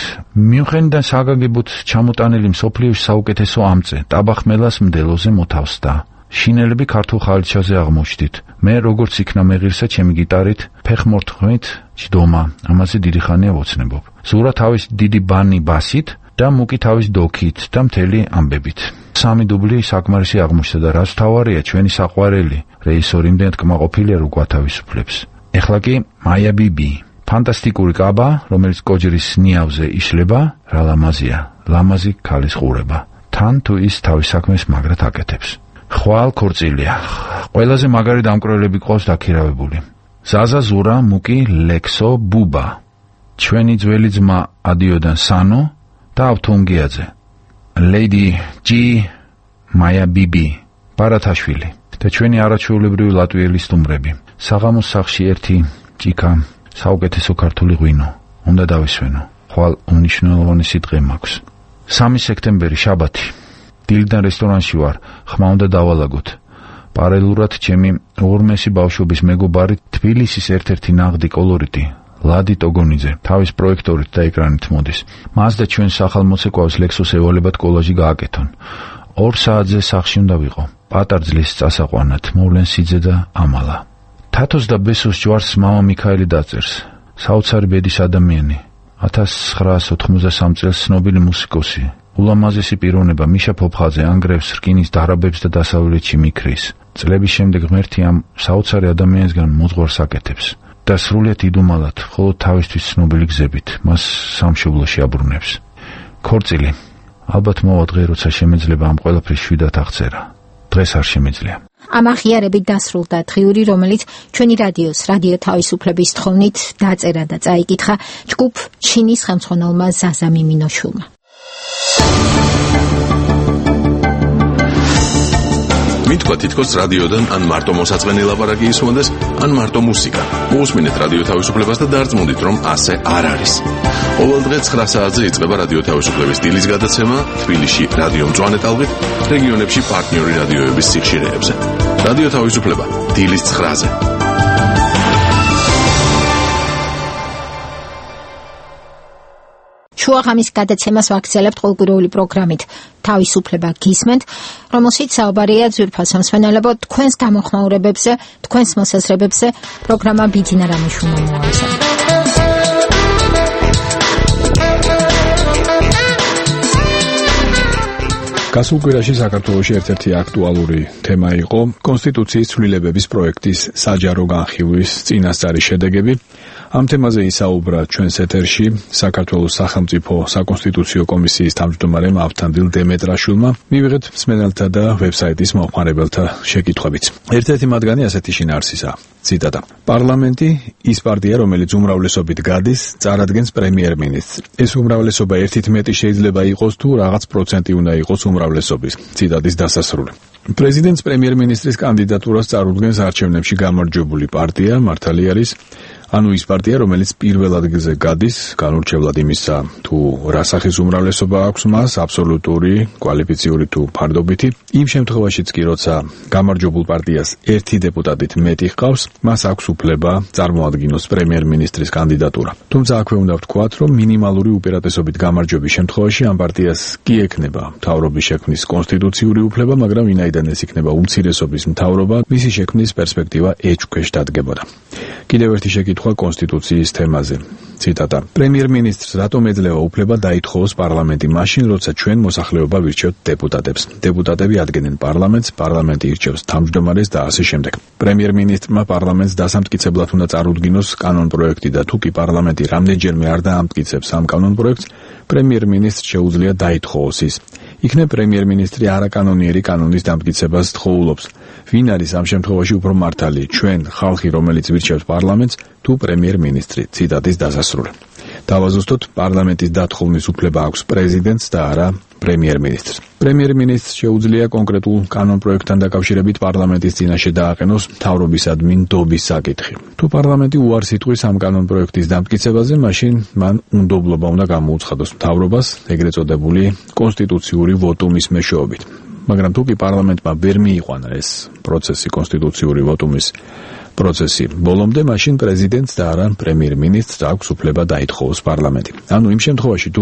[SPEAKER 4] მიუხედავად საგანგებოდ ჩამოტანილი მსოფლიოში საუკეთესო ამწე, ტაბახმელას მდელოზე მოთავსდა. შინელები ქართულ ხალიჩაზე აღმოჩნდით. მე როგორც იქნა მეღირსა ჩემი გიტარით, ფეხმორთმით ჯდომა, ამაზე დიდი ხანია ვოცნებობ. ზურა თავის დიდი ბანი ბასით და მუკი თავის დოქით და მთელი ამბებით. 3 დუბლი საკმარისი აღმოჩნდა და რაც თავარია ჩვენი საყვარელი რეჟისორი იმდენად კმაყოფილია რომ გვათავისუფლებს. ეხლა კი მაია ბიბი, ფანტასტიკური კაბა, რომელიც კოჯრის ნიავზე იშლება, რა ლამაზია, ლამაზი ქალის ყურება. თან თუ ის თავის საქმეს მაგრად აკეთებს. ხვალ ქორწილია. ყველაზე მაგარი დამკვრელები ყავს დაქირავებული. ზაზა ზურა, მუკი, ლექსო, ბუბა. ჩვენი ძველი ძმა ადიოდან სანო და ავთონგიაძე. ლეიდი ჯი, მაია ბიბი, ბარათაშვილი და ჩვენი არაჩვეულებრივი ლატვიელი სტუმრები. საღამოს სახლში ერთი ჭიქა, საუკეთესო ქართული ღვინო. უნდა დავისვენო. ხვალ უმნიშვნელოვანესი დღე მაქვს. 3 სექტემბერი, შაბათი. დილიდან რესტორანში ვარ, ხმა უნდა დავალაგოთ. პარალელურად ჩემი ორმესი ბავშვობის მეგობარი თბილისის ერთ-ერთი ნაღდი კოლორიტი ლადი ტოგონიძე თავის პროექტორით და ეკრანით მოდის. მას და ჩვენ სახალმოცეკვავს ლექსოს ევალებად კოლაჟი გააკეთონ. 2 საათზე სახლში უნდა ვიყო. პატარძლის წასაყვანად მოვლენ სიძე და ამალა. თათოს და ბესოს ჯვარს მამა მიქაელი დაწერს. საოცარი ბედის ადამიანი. 1993 წელს ცნობილი მუსიკოსი. ულამაზესი პიროვნება მიშა ფოფხაძე ანგრევს რკინის დარაბებს და დასავლეთში მიქრის. წლების შემდეგ ღმერთი ამ საოცარი ადამიანისგან მოძღვარს აკეთებს და სრულიად იდუმალად, მხოლოდ თავისთვის ცნობილი გზებით მას სამშობლოში აბრუნებს. ქორწილი. ალბათ მოვა დღე, როცა შემეძლება ამ ყველაფრის შვიდად აღწერა. დღეს არ შემეძლია.
[SPEAKER 1] ამ აღიარებით დასრულდა დღიური, რომელიც ჩვენი რადიოს, რადიო თავისუფლების თხოვნით დაწერა და წაიკითხა ჯგუფ ჩინის ხელმძღვანელმა ზაზა მიმინოშულმა.
[SPEAKER 10] მითქვა თითქოს რადიოდან ან მარტო მოსაწყენი ლაპარაკი ისმოდეს, ან მარტო მუსიკა. მოусმინეთ რადიო თავისუფლებას და დარწმუნდით, რომ ასე არ არის. ყოველ დღე 9 საათზე იწყება რადიო თავისუფლების დილის გადაცემა თბილისში რადიო მწვანე ტალღით, რეგიონებში პარტნიორი რადიოების სიხშირეებზე. რადიო თავისუფლება დილის 9-ზე.
[SPEAKER 1] შუაღამის გადაცემას ვაგრძელებთ ყოველკვირეული პროგრამით თავისუფლება გისმენთ, რომელშიც საუბარია ძვირფასო მსმენელებო თქვენს გამოხმაურებებზე, თქვენს მოსაზრებებზე, პროგრამა ბიძინა რამიშვილმა მოამზადა.
[SPEAKER 2] გასულ კვირაში საქართველოში ერთ-ერთი აქტუალური თემა იყო კონსტიტუციის ცვლილებების პროექტის საჯარო განხილვის წინასწარი შედეგები. ამ თემაზე ისაუბრა ჩვენს ეთერში საქართველოს სახელმწიფო საკონსტიტუციო კომისიის თავმჯდომარემ ავთანდილ დემეტრაშვილმა. მივიღეთ მსმენელთა და ვებსაიტის მომხმარებელთა შეკითხვებიც. ერთ-ერთი მათგანი ასეთი შინაარსისაა. ციტატა. პარლამენტი ის პარტია, რომელიც უმრავლესობით გადის, წარადგენს პრემიერ-მინისტრს. ეს უმრავლესობა ერთით მეტი შეიძლება იყოს თუ რაღაც პროცენტი უნდა იყოს უმრავლესობის. ციტატის დასასრული. პრეზიდენტს პრემიერ-მინისტრის კანდიდატურას წარუდგენს არჩევნებში გამარჯვებული პარტია, მართალი არის ანუ ის პარტია, რომელიც პირველ ადგილზე გადის, განურჩევლად იმისა, თუ რა სახის უმრავლესობა აქვს მას, აბსოლუტური, კვალიფიციური თუ ფარდობითი. იმ შემთხვევაშიც კი, როცა გამარჯვებულ პარტიას ერთი დეპუტატით მეტი ჰყავს, მას აქვს უფლება წარმოადგინოს პრემიერ-მინისტრის კანდიდატურა. თუმცა აქვე უნდა ვთქვათ, რომ მინიმალური უპირატესობით გამარჯვების შემთხვევაში ამ პარტიას კი ექნება მთავრობის შექმნის კონსტიტუციური უფლება, მაგრამ ვინაიდან ეს იქნება უმცირესობის მთავრობა, მისი შექმნის პერსპექტივა ეჭვქვეშ დადგებოდა. კიდევ ერთი შეკითხვა კონსტიტუციის თემაზე. ციტატა. პრემიერ-მინისტრს რატომ ეძლევა უფლება დაითხოვოს პარლამენტი მაშინ, როცა ჩვენ მოსახლეობა ვირჩევთ დეპუტატებს. დეპუტატები ადგენენ პარლამენტს, პარლამენტი ირჩევს თავმჯდომარეს და ასე შემდეგ. პრემიერ-მინისტრმა პარლამენტს დასამტკიცებლად უნდა წარუდგინოს კანონპროექტი და თუ კი პარლამენტი რამდენჯერმე არ დაამტკიცებს ამ კანონპროექტს, პრემიერ-მინისტრს შეუძლია დაითხოვოს ის. იქნებ პრემიერ-მინისტრი არაკანონიერი კანონის დამტკიცებას თხოვულობს. ვინ არის ამ შემთხვევაში უფრო მართალი, ჩვენ, ხალხი, რომელიც ვირჩევს პარლამენტს, თუ პრემიერ-მინისტრი? ციტატის დასასრული. დავაზუსტოთ, პარლამენტის დათხოვნის უფლება აქვს პრეზიდენტს და არა პრემიერ-მინისტრს. პრემიერ-მინისტრს შეუძლია კონკრეტულ კანონპროექტთან დაკავშირებით პარლამენტის წინაშე დააყენოს მთავრობისადმი ნდობის საკითხი. თუ პარლამენტი უარს იტყვის ამ კანონპროექტის დამტკიცებაზე, მაშინ მან უნდობლობა უნდა გამოუცხადოს მთავრობას ეგრეთ წოდებული კონსტიტუციური ვოტუმის მეშვეობით. მაგრამ თუ კი პარლამენტმა ვერ მიიყვანა ეს პროცესი, კონსტიტუციური ვოტუმის პროცესი ბოლომდე, მაშინ პრეზიდენტს და არა პრემიერ-მინისტრს აქვს უფლება დაითხოვოს პარლამენტი. ანუ იმ შემთხვევაში, თუ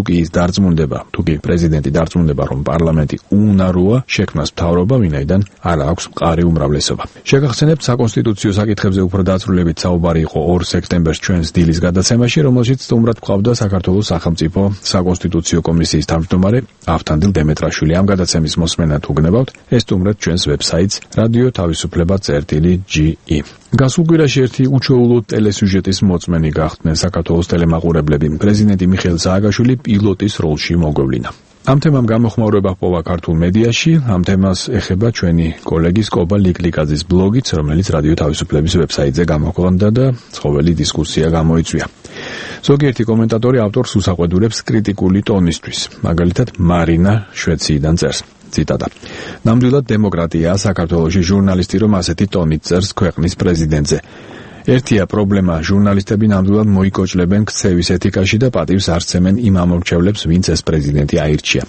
[SPEAKER 2] კი პრეზიდენტი დარწმუნდება, რომ პარლამენტი უნაროა, შექმნას მთავრობა, ვინაიდან არ აქვს მყარი უმრავლესობა. შეგახსენებთ, საკონსტიტუციო საკითხებზე უფრო დაწვრილებით საუბარი იყო 2 სექტემბერს ჩვენს დილის გადაცემაში, რომელშიც სტუმრად გვყავდა საქართველოს სახელმწიფო საკონსტიტუციო კომისიის თავმჯდომარე ავთანდილ დემეტრაშვილი. ამ გადაცემის მოსმენა თუ გნებავთ, ესტუმრეთ ჩვენს ვებსაიტს radio-თავისუფლება.ge. გასულ კვირაში ერთი უჩვეულო ტელესიუჟეტის მოწმენი გახდნენ საქართველოს ტელემაყურებლები. პრეზიდენტი მიხეილ სააკაშვილი პილოტის როლში მოგვევლინა. ამ თემამ გამოხმაურება ჰპოვა ქართულ მედიაში. ამ თემას ეხება ჩვენი კოლეგის კობა ლიკლიკაძის ბლოგიც, რომელიც რადიო თავისუფლების ვებსაიტზე გამოქვეყნდა და ცხოველი დისკუსია გამოიწვია. ზოგიერთი კომენტატორი ავტორს უსაყვედურებს კრიტიკული ტონისთვის. მაგალითად, მარინა შვეციიდან წერს. ციტატა. ნამდვილად დემოკრატიაა საქართველოში ჟურნალისტი, რომ ასეთი ტონით წერს ქვეყნის პრეზიდენტზე. ერთია პრობლემა, ჟურნალისტები ნამდვილად მოიკოჭლებენ ქცევის ეთიკაში და პატივს არცემენ იმ ამორჩევლებს, ვინც ეს პრეზიდენტი აირჩია.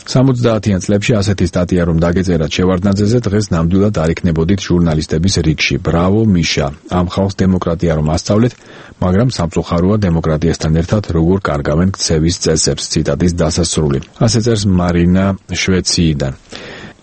[SPEAKER 2] 70-იან წლებში ასეთი სტატია რომ დაგეწერათ შევარდნაძეზე, დღეს ნამდვილად არ იქნებოდით ჟურნალისტების რიგში. ბრავო მიშა, ამ ხალხს დემოკრატია რომ ასწავლეთ, მაგრამ სამწუხაროა დემოკრატიასთან ერთად როგორ კარგავენ ქცევის წესებს. ციტატის დასასრული. ასე წერს მარინა შვეციიდან.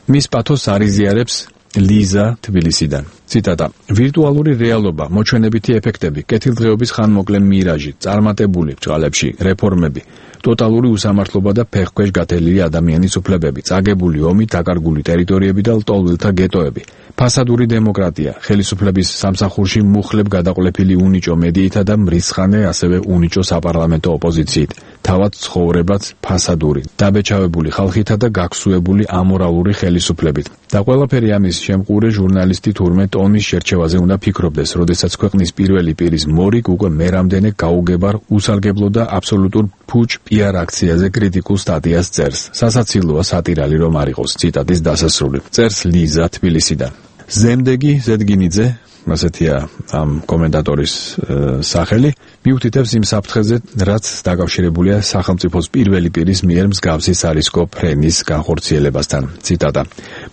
[SPEAKER 2] მის პათოსს არიზიარებს ლიზა თბილისიდან. ციტატა. ვირტუალური რეალობა, მოჩვენებითი ეფექტები, კეთილდღეობის ხანმოკლე მირაჟი, წარმატებული ბჭყალებში რეფორმები, ტოტალური უსამართლობა და ფეხქვეშ გათელილი ადამიანის უფლებები, წაგებული ომი, დაკარგული ტერიტორიები და ლტოლვილთა გეტოები, ფასადური დემოკრატია, ხელისუფლების სამსახურში მუხლებ გადაყოლებული უნიჭო მედიითა და მრისხანე, ასევე უნიჭო საპარლამენტო ოპოზიციით, თავად ცხოვრებაც ფასადური, დაბეჭავებული ხალხითა და გაქსუებული ამორალური ხელისუფლებით. და ყველაფერი ამის შემყურე ჟურნალისტი თურმე ტონის შერჩევაზე უნდა ფიქრობდეს, როდესაც ქვეყნის პირველი პირის მორიგ უკვე მერამდენე გაუგებარ, უსარგებლო და აბსოლუტურ ფუჭ PR აქციაზე კრიტიკულ სტატიას წერს. სასაცილოა სატირალი რომ არ იყოს. ციტატის დასასრული. წერს ლიზა თბილისიდან. ზემდეგი ზედგინიძე, ასეთია ამ კომენტატორის სახელი, მიუთითებს იმ საფრთხეზე, რაც დაკავშირებულია სახელმწიფოს პირველი პირის მიერ მსგავსი სარისკო ფრენის განხორციელებასთან. ციტატა.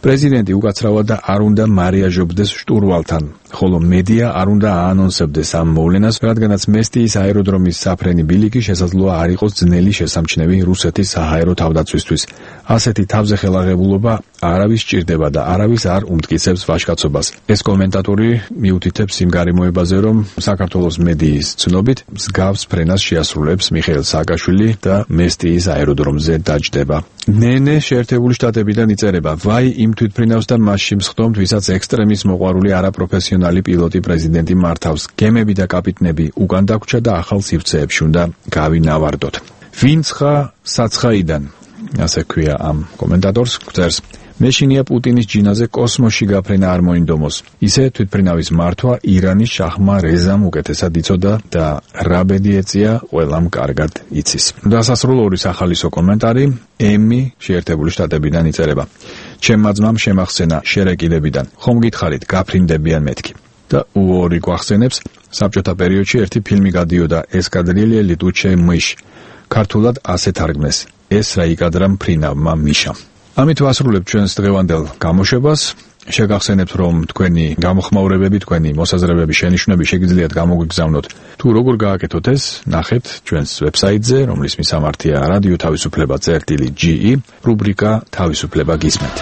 [SPEAKER 2] პრეზიდენტი უკაცრავად და არ უნდა მარიაჟობდეს შტურვალთან, ხოლო მედია არ უნდა აანონსებდეს ამ მოვლენას, რადგანაც მესტიის აეროდრომის საფრენი ბილიკი შესაძლოა არ იყოს ძნელი შესამჩნევი რუსეთის საჰაერო თავდაცვისთვის. ასეთი თავზე ხელაღებულობა არავის სჭირდება და არავის არ უმტკიცებს ვაჟკაცობას. ეს კომენტატორი მიუთითებს იმ გარემოებაზე, რომ საქართველოს მედიის ცნობით მსგავს ფრენას შეასრულებს მიხეილ სააკაშვილი და მესტიის აეროდრომზე დაჯდება. ნენე შეერთებული შტატებიდან იწერება, ვაი იმ თვითფრინავს და მასში მსხდომთ, ვისაც ექსტრემის მოყვარული არაპროფესიონალი პილოტი პრეზიდენტი მართავს. გემები და კაპიტნები უკან დაგვრჩა და ახალ სივრცეებში უნდა გავინავარდოთ. ვინცხა საცხაიდან, ასე ქვია ამ კომენტატორს, წერს. მეშინია პუტინის ჯინაზე კოსმოსში გაფრენა არ მოინდომოს. ისე თვითფრინავის მართვა ირანის შაჰმა რეზამ უკეთესად იცოდა და რა ბედი ეწია, ყველამ კარგად იცის. დასასრულ ორი სახალისო კომენტარი ემი შეერთებული შტატებიდან იწერება. ჩემმა ძმამ შემახსენა შერეკილებიდან. ხომ გითხარით, გაფრინდებიან მეთქი. და უორი გვახსენებს, საბჭოთა პერიოდში ერთი ფილმი გადიოდა ესკადრილე ლიტუჩე მიშ. ქართულად ასე თარგმნეს. ეს რა იკადრა მფრინავმა მიშამ. ამით ვასრულებთ ჩვენს დღევანდელ გამოშვებას. შეგახსენებთ, რომ თქვენი გამოხმაურებები, თქვენი მოსაზრებები, შენიშვნები შეგიძლიათ გამოგვიგზავნოთ. თუ როგორ გააკეთოთ ეს, ნახეთ ჩვენს ვებსაიტზე, რომლის მისამართია რადიო თავისუფლება.ge, რუბრიკა თავისუფლება გისმენთ.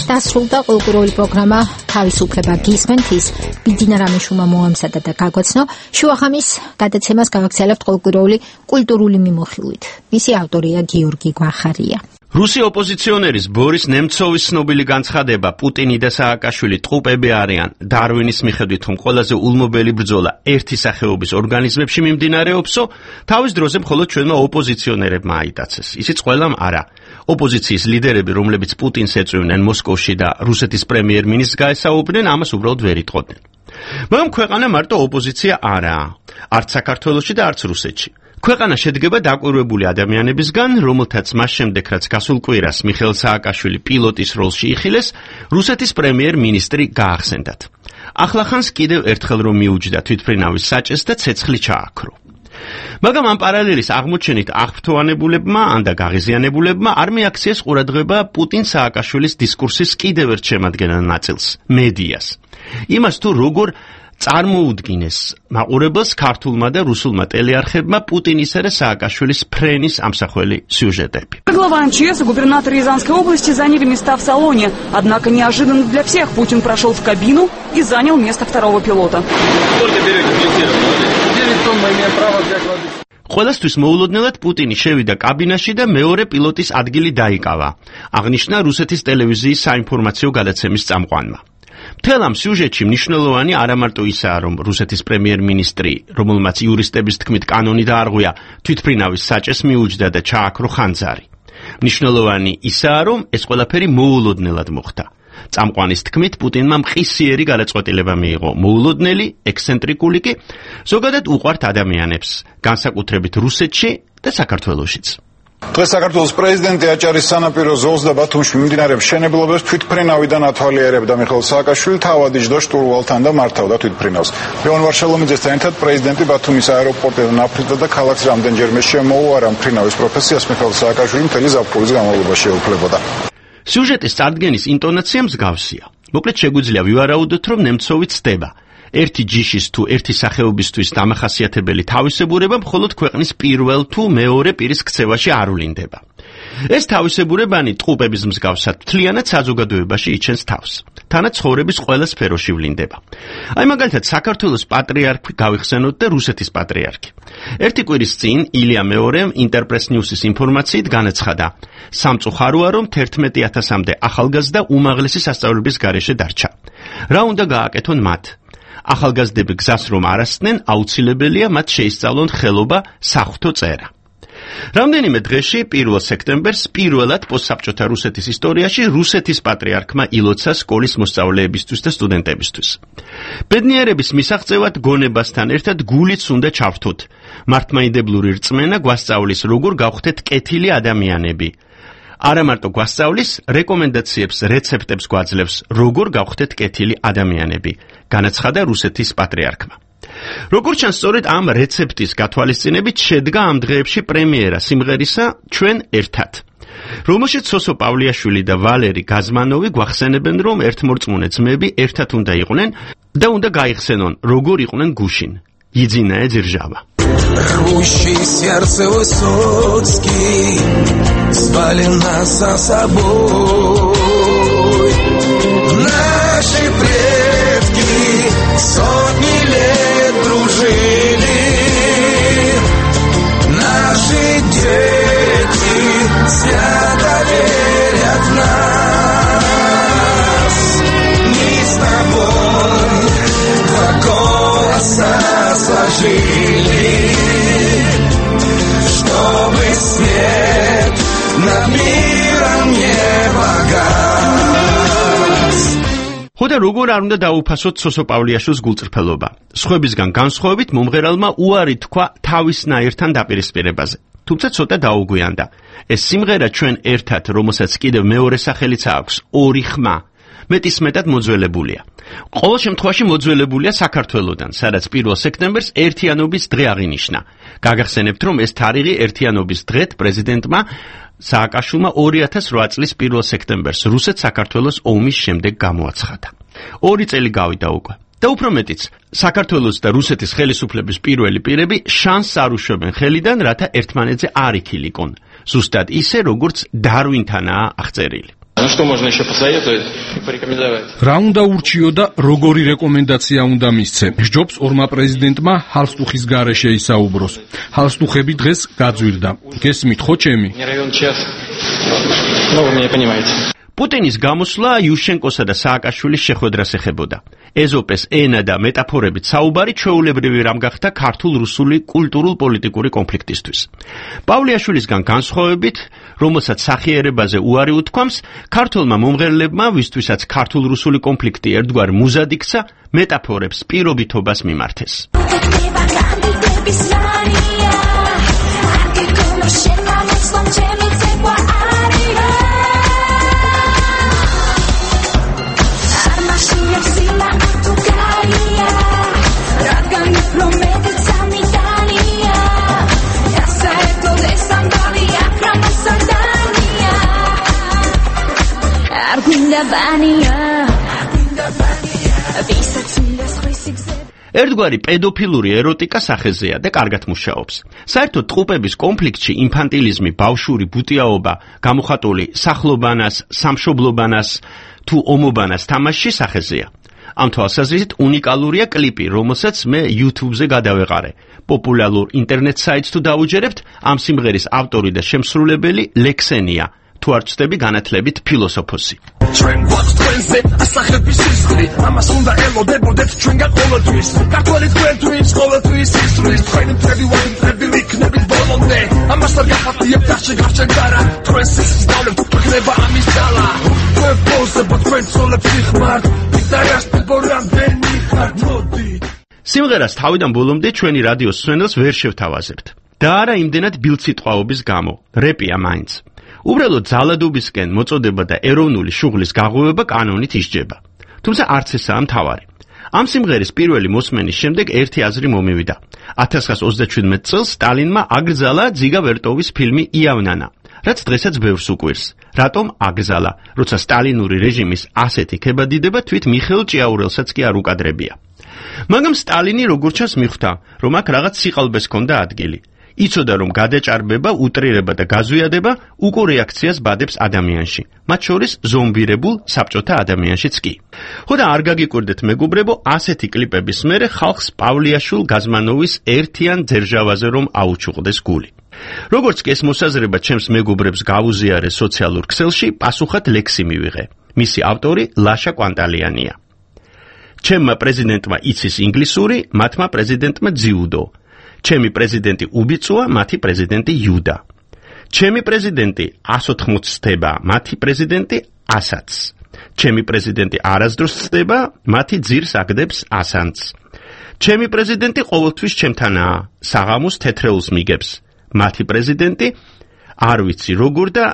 [SPEAKER 1] დასრულდა ყოველკვირეული პროგრამა თავისუფლება გისმენთ, ის ბიძინა რამიშვილმა მოამზადა და გაგვაცნო. შუახამის გადაცემას გავაგრძელებთ ყოველკვირეული კულტურული მიმოხილვით. მისი ავტორია გიორგი გვახარია.
[SPEAKER 12] რუსი ოპოზიციონერის ბორის ნემცოვის ცნობილი განცხადება პუტინი და სააკაშვილი ტყუპები არიან. დარვინის მიხედვით, რომ ყველაზე ულმობელი ბრძოლა ერთი სახეობის ორგანიზმებში მიმდინარეობსო, თავის დროზე მხოლოდ ჩვენმა ოპოზიციონერებმა აიტაცეს. ისიც ყველამ არა. ოპოზიციის ლიდერები, რომლებიც პუტინს ეწვივნენ მოსკოვში და რუსეთის პრემიერ-მინისტრს გაესაუბრნენ, ამას უბრალოდ ვერ იტყოდნენ. მაგრამ ქვეყანა მარტო ოპოზიცია არაა, არც საქართველოში და არც რუსეთში. ქვეყანა შედგება დაკვირვებული ადამიანებისგან, რომელთაც მას შემდეგ, რაც გასულ კვირას მიხეილ სააკაშვილი პილოტის როლში იხილეს, რუსეთის პრემიერ-მინისტრი გაახსენდათ. ახლახანს კიდევ ერთხელ რომ მიუჯდა თვითმფრინავის საჭეს და ცეცხლი ჩააქრო. მაგრამ ამ პარალელის აღმოჩენით აღფრთოვანებულებმა ან და გაღიზიანებულებმა არ მიაქციეს ყურადღება პუტინ-სააკაშვილის დისკურსის კიდევ ერთ შემადგენელ ნაწილს, მედიას. იმას თუ როგორ წარმოუდგინეს მაყურებელს ქართულმა და რუსულმა ტელეარხებმა პუტინისა და სააკაშვილის ფრენის ამსახველი сюжетები.
[SPEAKER 13] Глава МЧС и губернатор Рязанской области заняли места в салоне, однако неожиданно для всех Путин прошел в кабину и занял место второго пилота.
[SPEAKER 14] Сколько берете бензина? 9 тонн, имею право взять воды.
[SPEAKER 12] ყველასთვის მოულოდნელად პუტინი შევიდა კაბინაში და მეორე პილოტის ადგილი დაიკავა, აღნიშნა რუსეთის ტელევიზიის საინფორმაციო გადაცემის წამყვანმა. მთელ ამ სიუჟეტში მნიშვნელოვანი არა მარტო ისაა, რომ რუსეთის პრემიერ-მინისტრი, რომელმაც იურისტების თქმით კანონი დაარღვია, თვითმფრინავის საჭეს მიუჯდა და ჩააქრო ხანძარი. მნიშვნელოვანი ისაა, რომ ეს ყველაფერი მოულოდნელად მოხდა. წამყვანის თქმით, პუტინმა მყისიერი გადაწყვეტილება მიიღო, მოულოდნელი, ექსცენტრიკული კი, ზოგადად უყვართ ადამიანებს, განსაკუთრებით რუსეთში და საქართველოშიც.
[SPEAKER 15] დღეს საქართველოს პრეზიდენტი აჭარის სანაპირო ზოლს და ბათუმში მიმდინარე მშენებლობებს თვითმფრინავიდან ათვალიერებდა. მიხეილ სააკაშვილი თავად იჯდა შტურვალთან და მართავდა თვითმფრინავს. ლეონ ვარშალომიძესთან ერთად პრეზიდენტი ბათუმის აეროპორტიდან აფრთხილდა და ქალაქს რამდენჯერმე შემოუარა მფრინავის პროფესიას. მიხეილ სააკაშვილი მთელი ზაფხულის განმავლობაში ეუფლებოდა.
[SPEAKER 12] სიუჟეტის წარდგენის ინტონაცია მსგავსია. მოკლედ შეგვიძლია ვივარაუდოთ, რომ ნემცოვი ცდება. ერთი ჯიშის თუ ერთი სახეობისთვის დამახასიათებელი თავისებურება მხოლოდ ქვეყნის პირველ თუ მეორე პირის ქცევაში არ ვლინდება. ეს თავისებურებანი ტყუპების მსგავსად მთლიანად საზოგადოებაში იჩენს თავს. თანაც ცხოვრების ყველა სფეროში ვლინდება. აი მაგალითად საქართველოს პატრიარქი გავიხსენოთ და რუსეთის პატრიარქი. ერთი კვირის წინ ილია მეორემ ინტერპრეს ნიუსის ინფორმაციით განაცხადა, სამწუხაროა რომ 11,000-მდე ახალგაზრდა უმაღლესი სასწავლებლების გარეშე დარჩა. რა უნდა გააკეთონ მათ? ახალგაზრდები გზას რომ არასწნენ, აუცილებელია მათ შეისწავლონ ხელობა, საღვთო წერა. რამდენიმე დღეში 1 სექტემბერს პირველად პოსტსაბჭოთა რუსეთის ისტორიაში რუსეთის პატრიარქმა ილოცა სკოლის მოსწავლეებისთვის და სტუდენტებისთვის. ბედნიერების მისაღწევად გონებასთან ერთად გულიც უნდა ჩავთოთ. მართლმაიდებლური რწმენა გვასწავლის როგორ გავხდეთ კეთილი ადამიანები. არა მარტო გვასწავლის, რეკომენდაციებს, რეცეპტებს გვაძლევს, როგორ გავხდეთ კეთილი ადამიანები, განაცხადა რუსეთის პატრიარქმა. როგორც ჩანს, სწორედ ამ რეცეპტის გათვალისწინებით შედგა ამ დღეებში პრემიერა სიმღერისა ჩვენ ერთად, რომელშიც სოსო პავლიაშვილი და ვალერი გაზმანოვი გვახსენებენ, რომ ერთმორწმუნე ძმები ერთად უნდა იყვნენ და უნდა გაიხსენონ, როგორ იყვნენ გუშინ. Единая держава.
[SPEAKER 16] Рвущий сердце Высоцкий звали нас за собой. Наши предки сотни лет дружили, наши дети свято верят в нас. Мы с тобой два голоса сложили, чтобы свет над миром не погас.
[SPEAKER 12] ხოდა როგორ არ უნდა დაუფასოთ სოსო პავლიაშვილის გულწრფელობა? სხვებისგან განსხვავებით მომღერალმა უარი თქვა თავისნაირთან დაპირისპირებაზე. თუმცა ცოტა დაუგვიანდა. ეს სიმღერა ჩვენ ერთად, რომელსაც კიდევ მეორე სახელიც აქვს, ორი ხმა, მეტისმეტად მოძველებულია. ყოველ შემთხვევაში მოძველებულია საქართველოდან, სადაც 1 სექტემბერს ერთიანობის დღე აღინიშნა. გაგახსენებთ, რომ ეს თარიღი ერთიანობის დღეთ პრეზიდენტმა სააკაშვილმა 2008 წლის 1 სექტემბერს რუსეთ-საქართველოს ომის შემდეგ გამოაცხადა. 2 წელი გავიდა უკვე. და უფრო მეტიც, საქართველოს და რუსეთის ხელისუფლების პირველი პირები შანსს არ უშვებენ ხელიდან, რათა ერთმანეთზე არ იქილიკონ. ზუსტად ისე, როგორც დარვინთანაა აღწერილი.
[SPEAKER 14] Ну что можно еще посоветовать и порекомендовать?
[SPEAKER 6] რა უნდა ურჩიო და როგორი რეკომენდაცია უნდა მისცე? ჯობს ორმა პრეზიდენტმა ჰალსტუხის გარეშე ისაუბროს. ჰალსტუხები დღეს გაძვირდა. გესმით ხო ჩემი?
[SPEAKER 14] Не равен час. Ну вы меня понимаете.
[SPEAKER 12] პუტინის გამოსვლა იუშენკოსა და სააკაშვილის შეხვედრას ეხებოდა. ეზოპეს ენა და მეტაფორებით საუბარი ჩვეულებრივი რამ გახდა ქართულ-რუსული კულტურულ-პოლიტიკური კონფლიქტისთვის. პავლეაშვილისგან განსხვავებით, რომელსაც სახიერებაზე უარი უთქვამს, ქართველმა მომღერლებმა, ვისთვისაც ქართულ-რუსული კონფლიქტი ერთგვარ მუზად იქცა, მეტაფორებს პირობითობას მიმართეს. ერთგვარი პედოფილური ეროტიკა სახეზეა და კარგად მუშაობს. საერთოდ ტყუპების კონფლიქტში ინფანტილიზმი, ბავშვური ბუტიაობა, გამოხატული სახლობანას, სამშობლობანას თუ ომობანას თამაში სახეზეა. ამ თვალსაზრისით უნიკალურია კლიპი, რომელსაც მე YouTube-ზე გადავეყარე. პოპულარულ ინტერნეტ საიტს თუ დაუჯერებთ, ამ სიმღერის ავტორი და შემსრულებელი ლექსენია. თუ არ ვწდები განათლებით ფილოსოფოსი.
[SPEAKER 16] ჩვენ გვაქვს თქვენზე ასახების სისხლი, ამას უნდა ელოდებოდეთ ჩვენგან ყოველთვის. ქართველი თქვენთვის, ყოველთვის ისწრის, თქვენი მთელი ვაინტრები იქნებით ბოლომდე. ამას არ გახარდიებთ გარშემ გარა, თქვენ სისხლს დავლევთ, გვექნება ამის ძალა. თქვენ პოზებოთ, თქვენ ცოლებს იხმართ, ვიდარას ბორამდენი ხართ, მოდით.
[SPEAKER 12] სიმღერას თავიდან ბოლომდე ჩვენი რადიოს სვენელს ვერ შევთავაზებთ. და არა იმდენად ბილწიტყვაობის გამო, რეპია მაინც. უბრალოდ ძალადობისკენ მოწოდება და ეროვნული შუღლის გაღვივება კანონით ისჯება. თუმცა არც ესაა მთავარი. ამ სიმღერის პირველი მოსმენის შემდეგ ერთი აზრი მომივიდა. 1927 წელს სტალინმა აკრძალა ძიგა ვერტოვის ფილმი იავნანა, რაც დღესაც ბევრს უკვირს. რატომ აკრძალა, როცა სტალინური რეჟიმის ასეთი ქებადიდება თვით მიხეილ ჭიაურელსაც კი არ უკადრებია. მაგრამ სტალინი როგორც ჩანს მიხვდა, რომ აქ რაღაც სიყალბეს ჰქონდა ადგილი. იცოდა რომ გადაჭარბება, უტრირება და გაზვიადება უკო რეაქციას ბადებს ადამიანში, მათ შორის ზომბირებულ საბჭოთა ადამიანშიც კი. ხო და არ გაგიკვირდეთ მეგობრებო, ასეთი კლიპების მერე ხალხს პავლეაშვილ გაზმანოვის ერთიან ძერჟავაზე რომ აუჩუყდეს გული. როგორც კი ეს მოსაზრება ჩემს მეგობრებს გავუზიარე სოციალურ ქსელში, პასუხად ლექსი მივიღე. მისი ავტორი ლაშა კვანტალიანია. ჩემმა პრეზიდენტმა იცის ინგლისური, მათმა პრეზიდენტმა ძიუდო. ჩემი პრეზიდენტი უბიწოა, მათი პრეზიდენტი იუდა. ჩემი პრეზიდენტი 180 ცდება, მათი პრეზიდენტი 100-ს. ჩემი პრეზიდენტი არასდროს ცდება, მათი ძირს აგდებს 100-ს. ჩემი პრეზიდენტი ყოველთვის ჩემთანაა, საღამოს თეთრეულს მიგებს. მათი პრეზიდენტი არ ვიცი როგორ და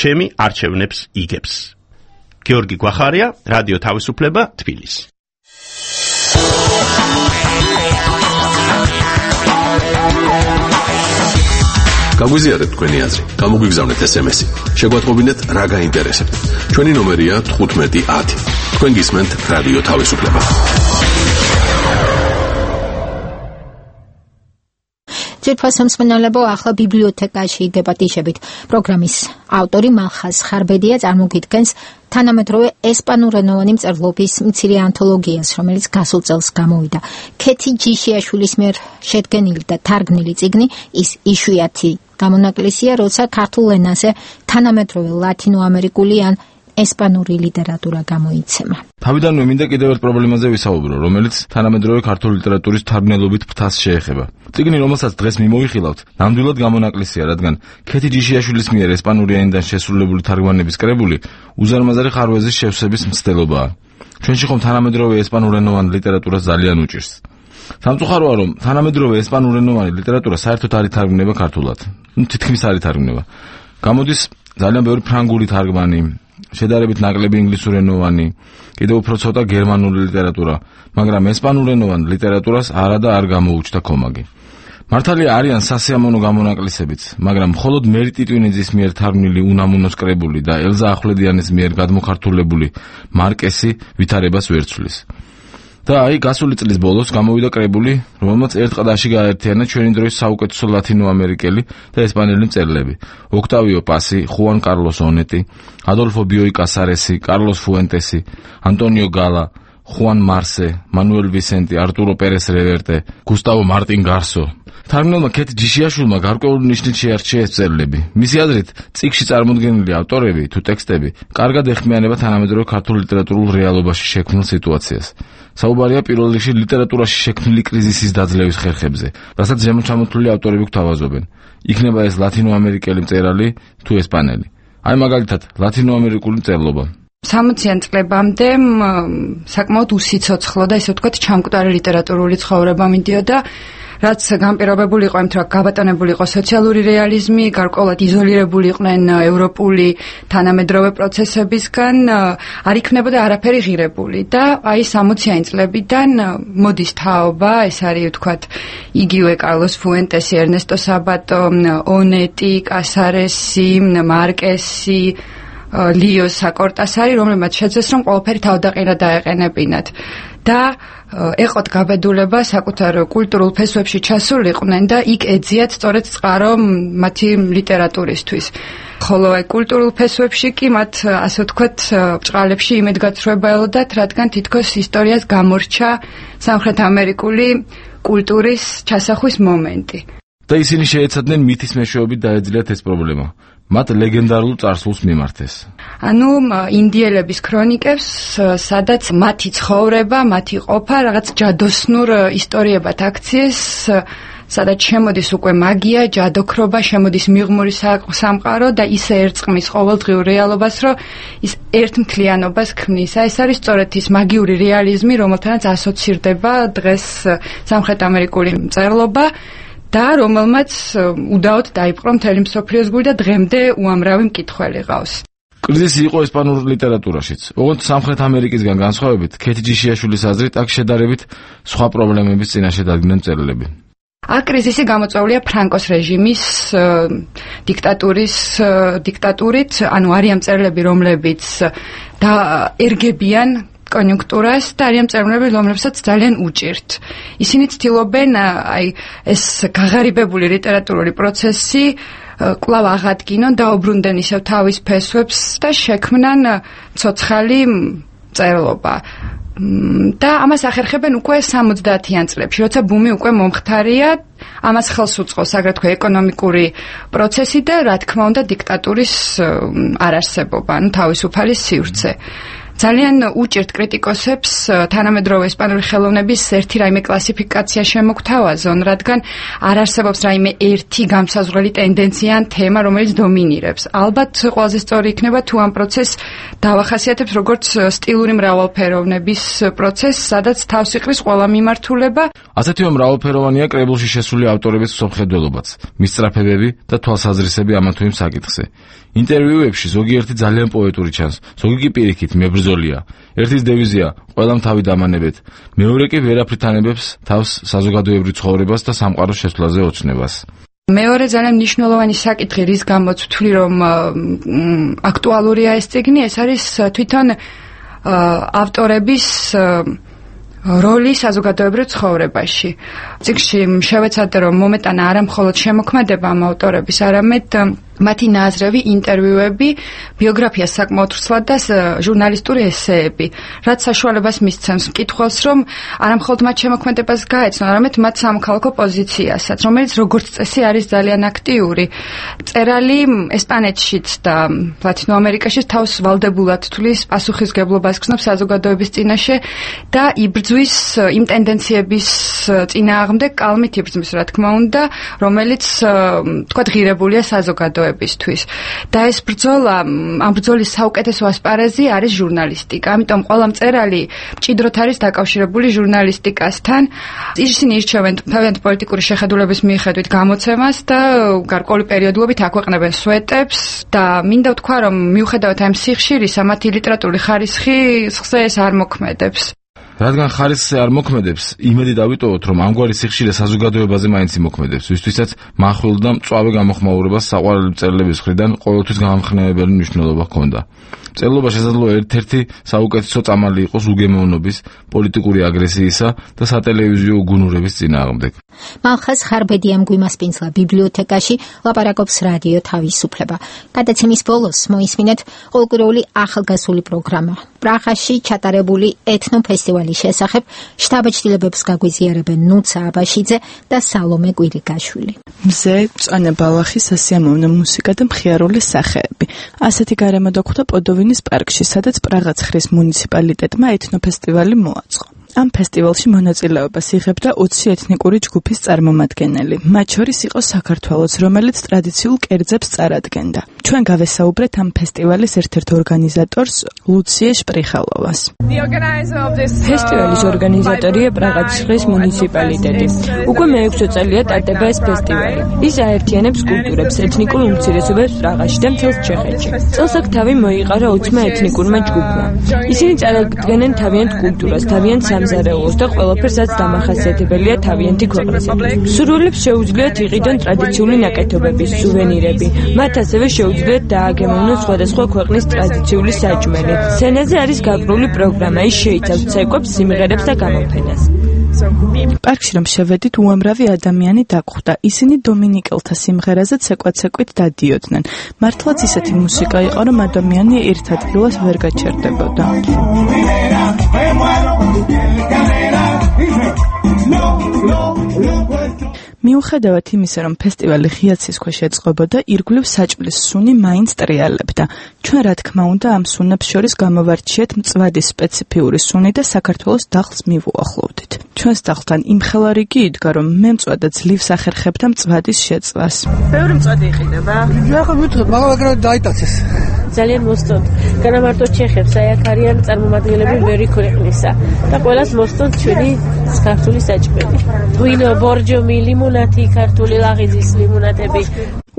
[SPEAKER 12] ჩემი არჩევნებს იგებს. გიორგი გვახარია, რადიო თავისუფლება, თბილისი.
[SPEAKER 10] გაგვიზიარეთ თქვენი აზრი, გამოგვიგზავნეთ SMS-ი. შეგვატყობინეთ რა გაინტერესებთ. ჩვენი ნომერია 1510. თქვენ გისმენთ რადიო თავისუფლება.
[SPEAKER 1] ძირფასამსმენელებო, ახლა ბიბლიოთეკაში დებატიშებით. პროგრამის ავტორი მალხაზ ხარბედია წარმოგიდგენს თანამედროვე ესპანურენოვანი მწერლობის მცირე ანთოლოგიას, რომელიც გასულ წელს გამოვიდა. ქეთი ჯიშიაშვილის მიერ შედგენილი და თარგმნილი წიგნი ის იშვიათი გამონაკლისია, როცა ქართულ ენაზე თანამედროვე ლათინოამერიკული ან ესპანური ლიტერატურა გამოიცემა.
[SPEAKER 4] თავიდანვე მინდა კიდევ ერთ პრობლემაზე ვისაუბრო, რომელიც თანამედროვე ქართული ლიტერატურის თარგმნელობით ფრთას შეეხება. წიგნი, რომელსაც დღეს მიმოიხილავთ, ნამდვილად გამონაკლისია, რადგან ქეთი ჯიშიაშვილის მიერ ესპანური ენიდან შესრულებული თარგმანების კრებული უზარმაზარი ხარვეზის შევსების მცდელობაა. ჩვენში ხომ თანამედროვე ესპანურენოვანი ლიტერატურა ძალიან უჭირს. სამწუხაროა, რომ თანამედროვე ესპანურენოვანი ლიტერატურა საერთოდ არ ითარგმნება ქართულად. თითქმის არ ითარგმნება. გამოდის ძალიან ბევრი ფრანგული თარგმანი, შედარებით ნაკლები ინგლისურენოვანი, კიდევ უფრო ცოტა გერმანული ლიტერატურა, მაგრამ ესპანურენოვან ლიტერატურას არა და არ გამოუჩნდა კომაგი. მართალია არიან სასიამოვნო გამონაკლისებიც, მაგრამ მხოლოდ მერი ტიტვინიძის მიერ თარგმნილი უნამუნოს კრებული და ელზა ახვლედიანის მიერ გადმოხართულებული მარკესი ვითარებას ვერ ცვლის. და აი გასული წლის ბოლოს გამოვიდა კრებული, რომელმაც ერთ ყდაში გააერთიანა ჩვენი დროის საუკეთესო ლათინოამერიკელი და ესპანელი მწერლები: ოქტავიო პასი, ხუან კარლოს ონეტი, ადოლფო ბიოი კასარესი, კარლოს ფუენტესი, ანტონიო გალა, ხუან მარსე, მანუელ ვისენტი, არტურო პერეს რევერტე, გუსტავო მარტინ გარსო. თარგმნელმა ქეთ ჯიშიაშვილმა გარკვეული ნიშნით შეარჩია ეს წერილები. მისი აზრით, წიგნში წარმოდგენილი ავტორები თუ ტექსტები კარგად ეხმიანება თანამედროვე ქართულ ლიტერატურულ რეალობაში შექმნილ სიტუაციას. საუბარია პირველ რიგში ლიტერატურაში შექმნილი კრიზისის დაძლევის ხერხებზე, რასაც ზემოჩამოთვლილი ავტორები გვთავაზობენ. იქნება ეს ლათინოამერიკელი მწერალი თუ ესპანელი. აი მაგალითად, ლათინოამერიკული მწერლობა.
[SPEAKER 17] 60-იან წლებამდე საკმაოდ უსიცოცხლო და ისე ვთქვათ ჩამკვდარი ლიტერატურული ცხოვრება მიდიოდა, რაც განპირობებული იყო იმით, რომ გაბატონებული იყო სოციალური რეალიზმი, გარკვეულად იზოლირებული იყვნენ ევროპული თანამედროვე პროცესებისგან, არ იქნებოდა არაფერი ღირებული და აი 60-იან წლებიდან მოდის თაობა, ეს არის ვთქვათ იგივე კარლოს ფუენტესი, ერნესტო საბატო, ონეტი, კასარესი, მარკესი, ლიო საკორტასარი, რომლებმაც შეძლეს რომ ყველაფერი თავდაყირა დაეყენებინათ და ეყოთ გაბედულება საკუთარ კულტურულ ფესვებში ჩასულიყვნენ და იქ ეძიათ სწორედ წყარო მათი ლიტერატურისთვის. ხოლო აი კულტურულ ფესვებში კი მათ ასე ვთქვათ ბრწყალებში იმედგაცრუება ელოდათ, რადგან თითქოს ისტორიას გამორჩა სამხრეთ ამერიკული კულტურის ჩასახვის მომენტი.
[SPEAKER 4] და ისინი შეეცადნენ მითის მეშვეობით დაეძლიათ ეს პრობლემა. მათ ლეგენდარულ წარსულს მიმართეს.
[SPEAKER 17] ანუ ინდიელების ქრონიკებს, სადაც მათი ცხოვრება, მათი ყოფა რაღაც ჯადოსნურ ისტორიებად აქციეს, სადაც შემოდის უკვე მაგია, ჯადოქრობა, შემოდის მიღმური სამყარო და ისე ერწყმის ყოველდღიურ რეალობას, რომ ის ერთმთლიანობას ქმნის. ეს არის სწორედ ის მაგიური რეალიზმი, რომელთანაც ასოცირდება დღეს სამხრეთ ამერიკული მწერლობა. და რომელმაც უდაოდ დაიპყრო მთელი მსოფლიოს გული და დღემდე უამრავი მკითხველი ყავს.
[SPEAKER 4] კრიზისი იყო ესპანურ ლიტერატურაშიც. ოღონდ სამხრეთ ამერიკისგან განსხვავებით, ქეთი ჯიშიაშვილის აზრით, აქ შედარებით სხვა პრობლემების წინაშე დადგნენ წერილები.
[SPEAKER 17] აქ კრიზისი გამოწვეულია ფრანკოს რეჟიმის დიქტატურით, ანუ არიან მწერლები, რომლებიც ერგებიან კონიუნქტურას და არიან მწერლები, რომლებსაც ძალიან უჭირთ. ისინი ცდილობენ აი ეს გაღარიბებული ლიტერატურული პროცესი კვლავ აღადგინონ, დაუბრუნდნენ ისევ თავის ფესვებს და შექმნან ცოცხალი მწერლობა. და ამას ახერხებენ უკვე 70-იან წლებში, როცა ბუმი უკვე მომხდარია, ამას ხელს უწყობს აგრეთვე ეკონომიკური პროცესი და რა თქმა უნდა დიქტატურის არარსებობა, ანუ თავისუფალი სივრცე. ძალიან უჭირთ კრიტიკოსებს თანამედროვე ესპანური ხელოვნების ერთი რაიმე კლასიფიკაცია შემოგთავაზონ, რადგან არ არსებობს რაიმე ერთი გამსაზღვრელი ტენდენცია ან თემა, რომელიც დომინირებს. ალბათ ყველაზე სწორი იქნება თუ ამ პროცესს დავახასიათებს როგორც სტილური მრავალფეროვნების პროცესს, სადაც თავს იყრის ყველა მიმართულება.
[SPEAKER 4] ასეთივე მრავალფეროვანია კრებულში შესული ავტორების მსოფლმხედველობაც, მისწრაფებები და თვალსაზრისები ამა თუ იმ საკითხზე. ინტერვიუებში ზოგიერთი ძალიან პოეტური ჩანს, ზოგი კი პირიქით მებრძოლია. ერთის დევიზია ყველამ თავი დამანებეთ, მეორე კი ვერაფრით ანებებს თავს საზოგადოებრივ ცხოვრებას და სამყაროს შესვლაზე ოცნებას.
[SPEAKER 17] მეორე ძალიან მნიშვნელოვანი საკითხი, რის გამოც ვთვლი, რომ აქტუალურია ეს წიგნი, ეს არის თვითონ ავტორების როლი საზოგადოებრივ ცხოვრებაში. წიგნში შევეცადე, რომ მომეტანა არა მხოლოდ შემოქმედება ამ ავტორების, არამედ მათი ნაზრები, ინტერვიუები, ბიოგრაფია საკმაოდ ვრცლად და ჟურნალისტური ესეები, რაც საშუალებას მისცემს მკითხველს, რომ არა მხოლოდ მათ შემოქმედებას გაეცნო, არამედ მათ სამოქალაქო პოზიციასაც, რომელიც როგორც წესი არის ძალიან აქტიური. მწერალი ესპანეთშიც და ლათინო ამერიკაშიც თავს ვალდებულად თვლის, პასუხისგებლობას გრძნობს საზოგადოების წინაშე და იბრძვის იმ ტენდენციების წინააღმდეგ, კალმით იბრძვის, რა თქმა უნდა, რომელიც თქვათ ღირებულია საზოგადოებისთვის. და ეს ბრძოლა, ამ ბრძოლის საუკეთესო ასპარეზი არის ჟურნალისტიკა. ამიტომ ყველა მწერალი მჭიდროდ არის დაკავშირებული ჟურნალისტიკასთან. ისინი ირჩევენ თავიანთი პოლიტიკური შეხედულების მიხედვით გამოცემას და გარკვეული პერიოდულობით აქვეყნებენ სვეტებს და მინდა ვთქვა, რომ მიუხედავად ამ სიხშირისა, მათი ლიტერატურული ხარისხი სხზე ეს არ მოქმედებს.
[SPEAKER 4] რადგან ხარისხზე არ მოქმედებს, იმედი დავიტოვოთ, რომ ამგვარი სიხშირე საზოგადოებაზე მაინც იმოქმედებს, ვისთვისაც მახვილ და მწვავე გამოხმაურებას საყვარელი მწერლების მხრიდან ყოველთვის გამამხნევებელი მნიშვნელობა ჰქონდა. მწერლობა შესაძლოა ერთ-ერთი საუკეთესო წამალი იყოს უგემოვნობის, პოლიტიკური აგრესიისა და სატელევიზიო უგუნურების წინააღმდეგ.
[SPEAKER 1] მალხას ხარბედიამ გვიმასპინძლა ბიბლიოთეკაში ლაპარაკობს რადიო თავისუფლება. გადაცემის ბოლოს მოისმინეთ ყოველკვირეული ახალგაზრდული პროგრამა. პრაღაში ჩატარებული ეთნოფესტივალის შესახებ შთაბეჭდილებებს გაგვიზიარებენ ნუცა აბაშიძე და სალომე კვირიკაშვილი.
[SPEAKER 18] მზე, მწვანე ბალახი, სასიამოვნო მუსიკა და მხიარული სახეები. ასეთი გარემო დაგვხვდა პოდოვინის პარკში, სადაც პრაღაცხრის მუნიციპალიტეტმა ეთნოფესტივალი მოაწყო. ამ ფესტივალში მონაწილეობას იღებდა 20 ეთნიკური ჯგუფის წარმომადგენელი. მათ შორის იყო საქართველოც, რომელიც ტრადიციულ კერძებს წარადგენდა. ჩვენ გავესაუბრეთ ამ ფესტივალის ერთ-ერთ ორგანიზატორს, ლუციე შპრიხალოვას.
[SPEAKER 19] ფესტივალის ორგანიზატორია პრაღაცხრის მუნიციპალიტეტი. უკვე მე-6 წელია ტარდება ეს ფესტივალი. ის აერთიანებს კულტურებს, ეთნიკურ უმცირესობებს პრაღაში და მთელს ჩეხეთში. წელს აქ თავი მოიყარა 20 ეთნიკურმა ჯგუფმა. ისინი წარადგენენ თავიანთ კულტურას, თავიანთ სამზარეულოს და ყველაფერსაც დამახასიათებელია თავიანთი ქვეყნისათვის. სურვილებს შეუძლიათ იყიდონ ტრადიციული ნაკეთობების, სუვენირები. მათ ასევე შეუძლიათ დააგემოვნონ სხვადასხვა ქვეყნის ტრადიციული საჭმელი. სცენაზე არის გაგრული პროგრამა, ის შეიცავს ცეკვებს, სიმღერებს და გამოფენას.
[SPEAKER 18] პარკში რომ შევედით, უამრავი ადამიანი დაგვხვდა. ისინი დომინიკელთა სიმღერაზე ცეკვაცეკვით დადიოდნენ. მართლაც ისეთი მუსიკა იყო, რომ ადამიანი ერთ ადგილას ვერ გაჩერდებოდა. მიუხედავად იმისა, რომ ფესტივალი ღიაცის ქვეშ ეწყობოდა, ირგვლივ საჭმლის სუნი მაინც ტრიალებდა. ჩვენ რა თქმა უნდა ამ სუნებს შორის გამოვარჩიეთ მწვადის სპეციფიური სუნი და საქართველოს დახლს მივუახლოვდით. ჩვენს დახლთან იმხელა რიგი იდგა, რომ მე მწვადა ძლივს ახერხებდა მწვადის შეწვას.
[SPEAKER 19] ბევრი მწვადი იყიდება.
[SPEAKER 20] ნახე ვიტყვი, მაგრამ დაიტაცეს.
[SPEAKER 19] ძალიან მოსწონთ. განამარტო ჩეხებს, აი აქ არიან წარმომადგენლები ბევრი ქვეყნისა და ყველას მოსწონთ ჩვენი ქართული საჭმელი. ღვინო, ბორჯომი, ლიმონათი, ქართული ლაღიძის ლიმონათები.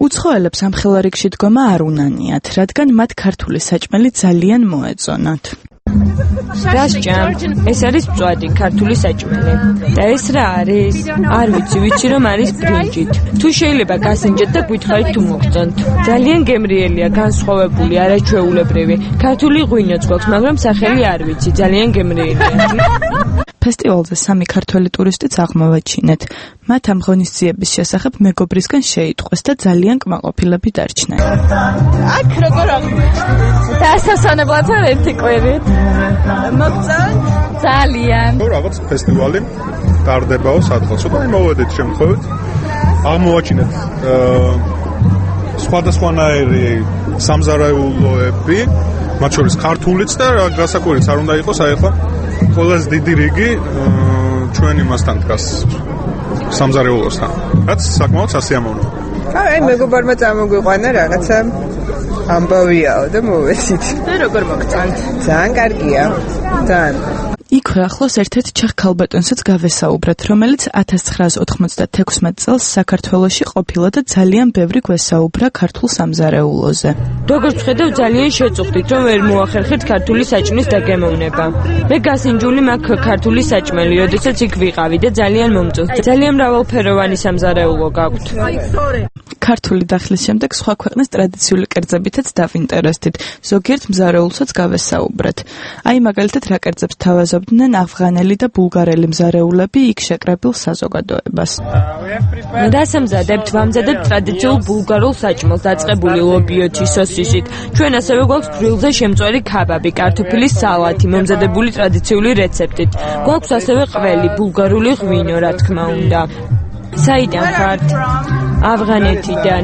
[SPEAKER 18] უცხოელებს ამ ხელარიგში დგომა არ უნანიათ, რადგან მათ ქართული საჭმელი ძალიან მოეწონათ.
[SPEAKER 19] დასჭამ, ეს არის მწვადი, ქართული საჭმელი. და ეს რა არის? არ ვიცი რომ არის ბრინჯით. თუ შეიძლება გასინჯეთ და გითხარით თუ მოგწონთ. ძალიან გემრიელია, განსხვავებული, არაჩვეულებრივი. ქართული ღვინოც გვაქვს, მაგრამ სახელი არ ვიცი, ძალიან გემრიელია.
[SPEAKER 18] ფესტივალზე 3 ქართველი ტურისტიც აღმოვაჩინეთ. მათ ამ ღონისძიების შესახებ მეგობრისგან შეიტყვეს და ძალიან კმაყოფილები დარჩნენ.
[SPEAKER 19] აქ როგორ აღმოჩნდა? დასასვენებლად არ ერთი კვირით. მოგწონთ? ძალიან.
[SPEAKER 3] რაღაც ფესტივალი ტარდებაო სადღაც. ცოტა მოვედით შემთხვევით. აღმოვაჩინეთ სხვადასხვანაირი სამზარეულოები, მათ შორის ქართულიც და გასაკვირიც არ უნდა იყოს, აი ხო ყველაზე დიდი რიგი ჩვენ იმასთან დგას სამზარეულოსთან. რაც საკმაოდ სასიამოვნოა.
[SPEAKER 21] აი მეგობარმა წამოგვიყვანა რაღაცა ამბავიაო და მოვესით.
[SPEAKER 19] და როგორ მოგწონთ?
[SPEAKER 21] ძალიან კარგია. ძალიან.
[SPEAKER 18] იქვე ახლოს ერთ-ერთ ჩეხ ქალბატონსაც გავესაუბრეთ, რომელიც 1996 წელს საქართველოში ყოფილა და ძალიან ბევრი გვესაუბრა ქართულ სამზარეულოზე.
[SPEAKER 19] როგორც ხედავ, ძალიან შეწუხდით, რომ ვერ მოახერხეთ ქართული საჭმლის დაგემოვნება. მე გასინჯული მაქვს ქართული საჭმელი, როდესაც იქ ვიყავი და ძალიან მომწონს. ძალიან მრავალფეროვანი სამზარეულო გაქვთ.
[SPEAKER 18] ქართული დახლის შემდეგ სხვა ქვეყნის ტრადიციული კერძებითაც დავინტერესდით. ზოგიერთ მზარეულსაც გავესაუბრეთ. აი მაგალითად რა კერძებს თავაზობდნენ ავღანელი და ბულგარელი მზარეულები იქ შეკრებილ საზოგადოებას.
[SPEAKER 19] დასამზადებთ ვამზადებ ტრადიციულ ბულგარულ საჭმელს დაწყებული ლობიოთი სოსისით. ჩვენ ასევე გვაქვს გრილზე შემწვარი ქაბაბი, კარტოფილის სალათი, მომზადებული ტრადიციული რეცეპტით. გვაქვს ასევე ყველი, ბულგარული ღვინო, რა თქმა უნდა. საიდან ხართ? ავღანეთიდან.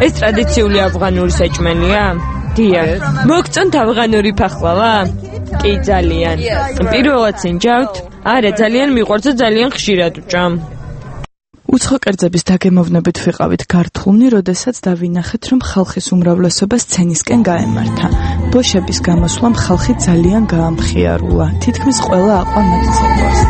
[SPEAKER 19] ეს ტრადიციული ავღანური საჭმელია? დიახ. მოგწონთ ავღანური ფახლავა? კი, ძალიან. პირველად სინჯავთ? არა, ძალიან მიყვარს და ძალიან ხშირად ვჭამ.
[SPEAKER 18] უცხო კერძების დაგემოვნებით ვიყავით გართულნი, როდესაც დავინახეთ, რომ ხალხის უმრავლესობა სცენისკენ გაემართა. ბოშების გამოსვლამ ხალხი ძალიან გაამხიარულა. თითქმის ყველა აყვა მათ ცეკვას.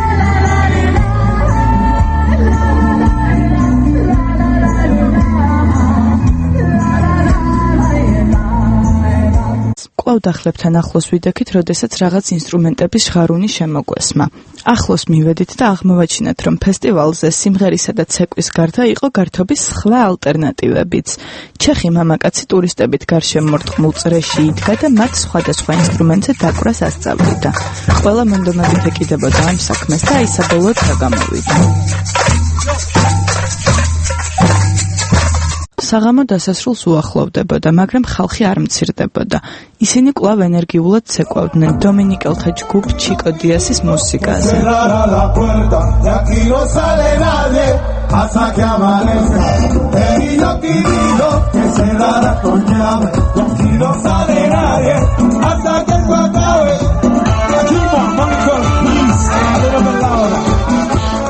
[SPEAKER 18] კვლავ თავდახლებთან ახლოს ვიდექით, როდესაც რაღაც ინსტრუმენტების ჟღარუნი შემოგვესმა. ახლოს მივედით და აღმოვაჩინეთ, რომ ფესტივალზე სიმღერისა და ცეკვის გარდა იყო გართობის სხვა ალტერნატივებიც. ჩეხი მამაკაცი ტურისტებით გარშემორტყმულ წრეში იდგა და მათ სხვადასხვა ინსტრუმენტზე დაკვრას ასწავლიდა. ყველა მონდომებით ეკიდებოდა ამ საქმეს და აი საბოლოოდ გამოვიდა. საღამო დასასრულს უახლოვდებოდა, მაგრამ ხალხი არ მცირდებოდა. ისინი კვლავ ენერგიულად ცეკვავდნენ დომინიკელთა ჯგუფ ჩიკო დიასის მუსიკაზე.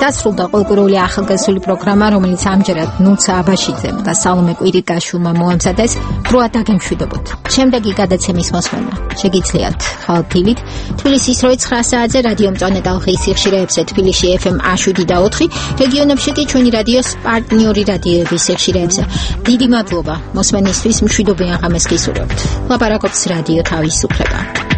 [SPEAKER 1] დასრულდა ყოველკვირეული ახალგაზრდული პროგრამა, რომელიც ამჯერად ნუცა აბაშიძემ და სალომე კვირიკაშვილმა მოამზადეს. დროა დაგემშვიდობოთ. შემდეგი გადაცემის მოსმენა შეგიძლიათ ხალთილით თბილისის 9 საათზე რადიო მწვანე ტალღის სიხშირეებზე თბილისში FM 107 და 4, რეგიონებში კი ჩვენი რადიოს პარტნიორი რადიოების სიხშირეებზე. დიდი მადლობა მოსმენისთვის, მშვიდობიან ღამეს გისურვებთ. ლაპარაკობს რადიო თავისუფლება.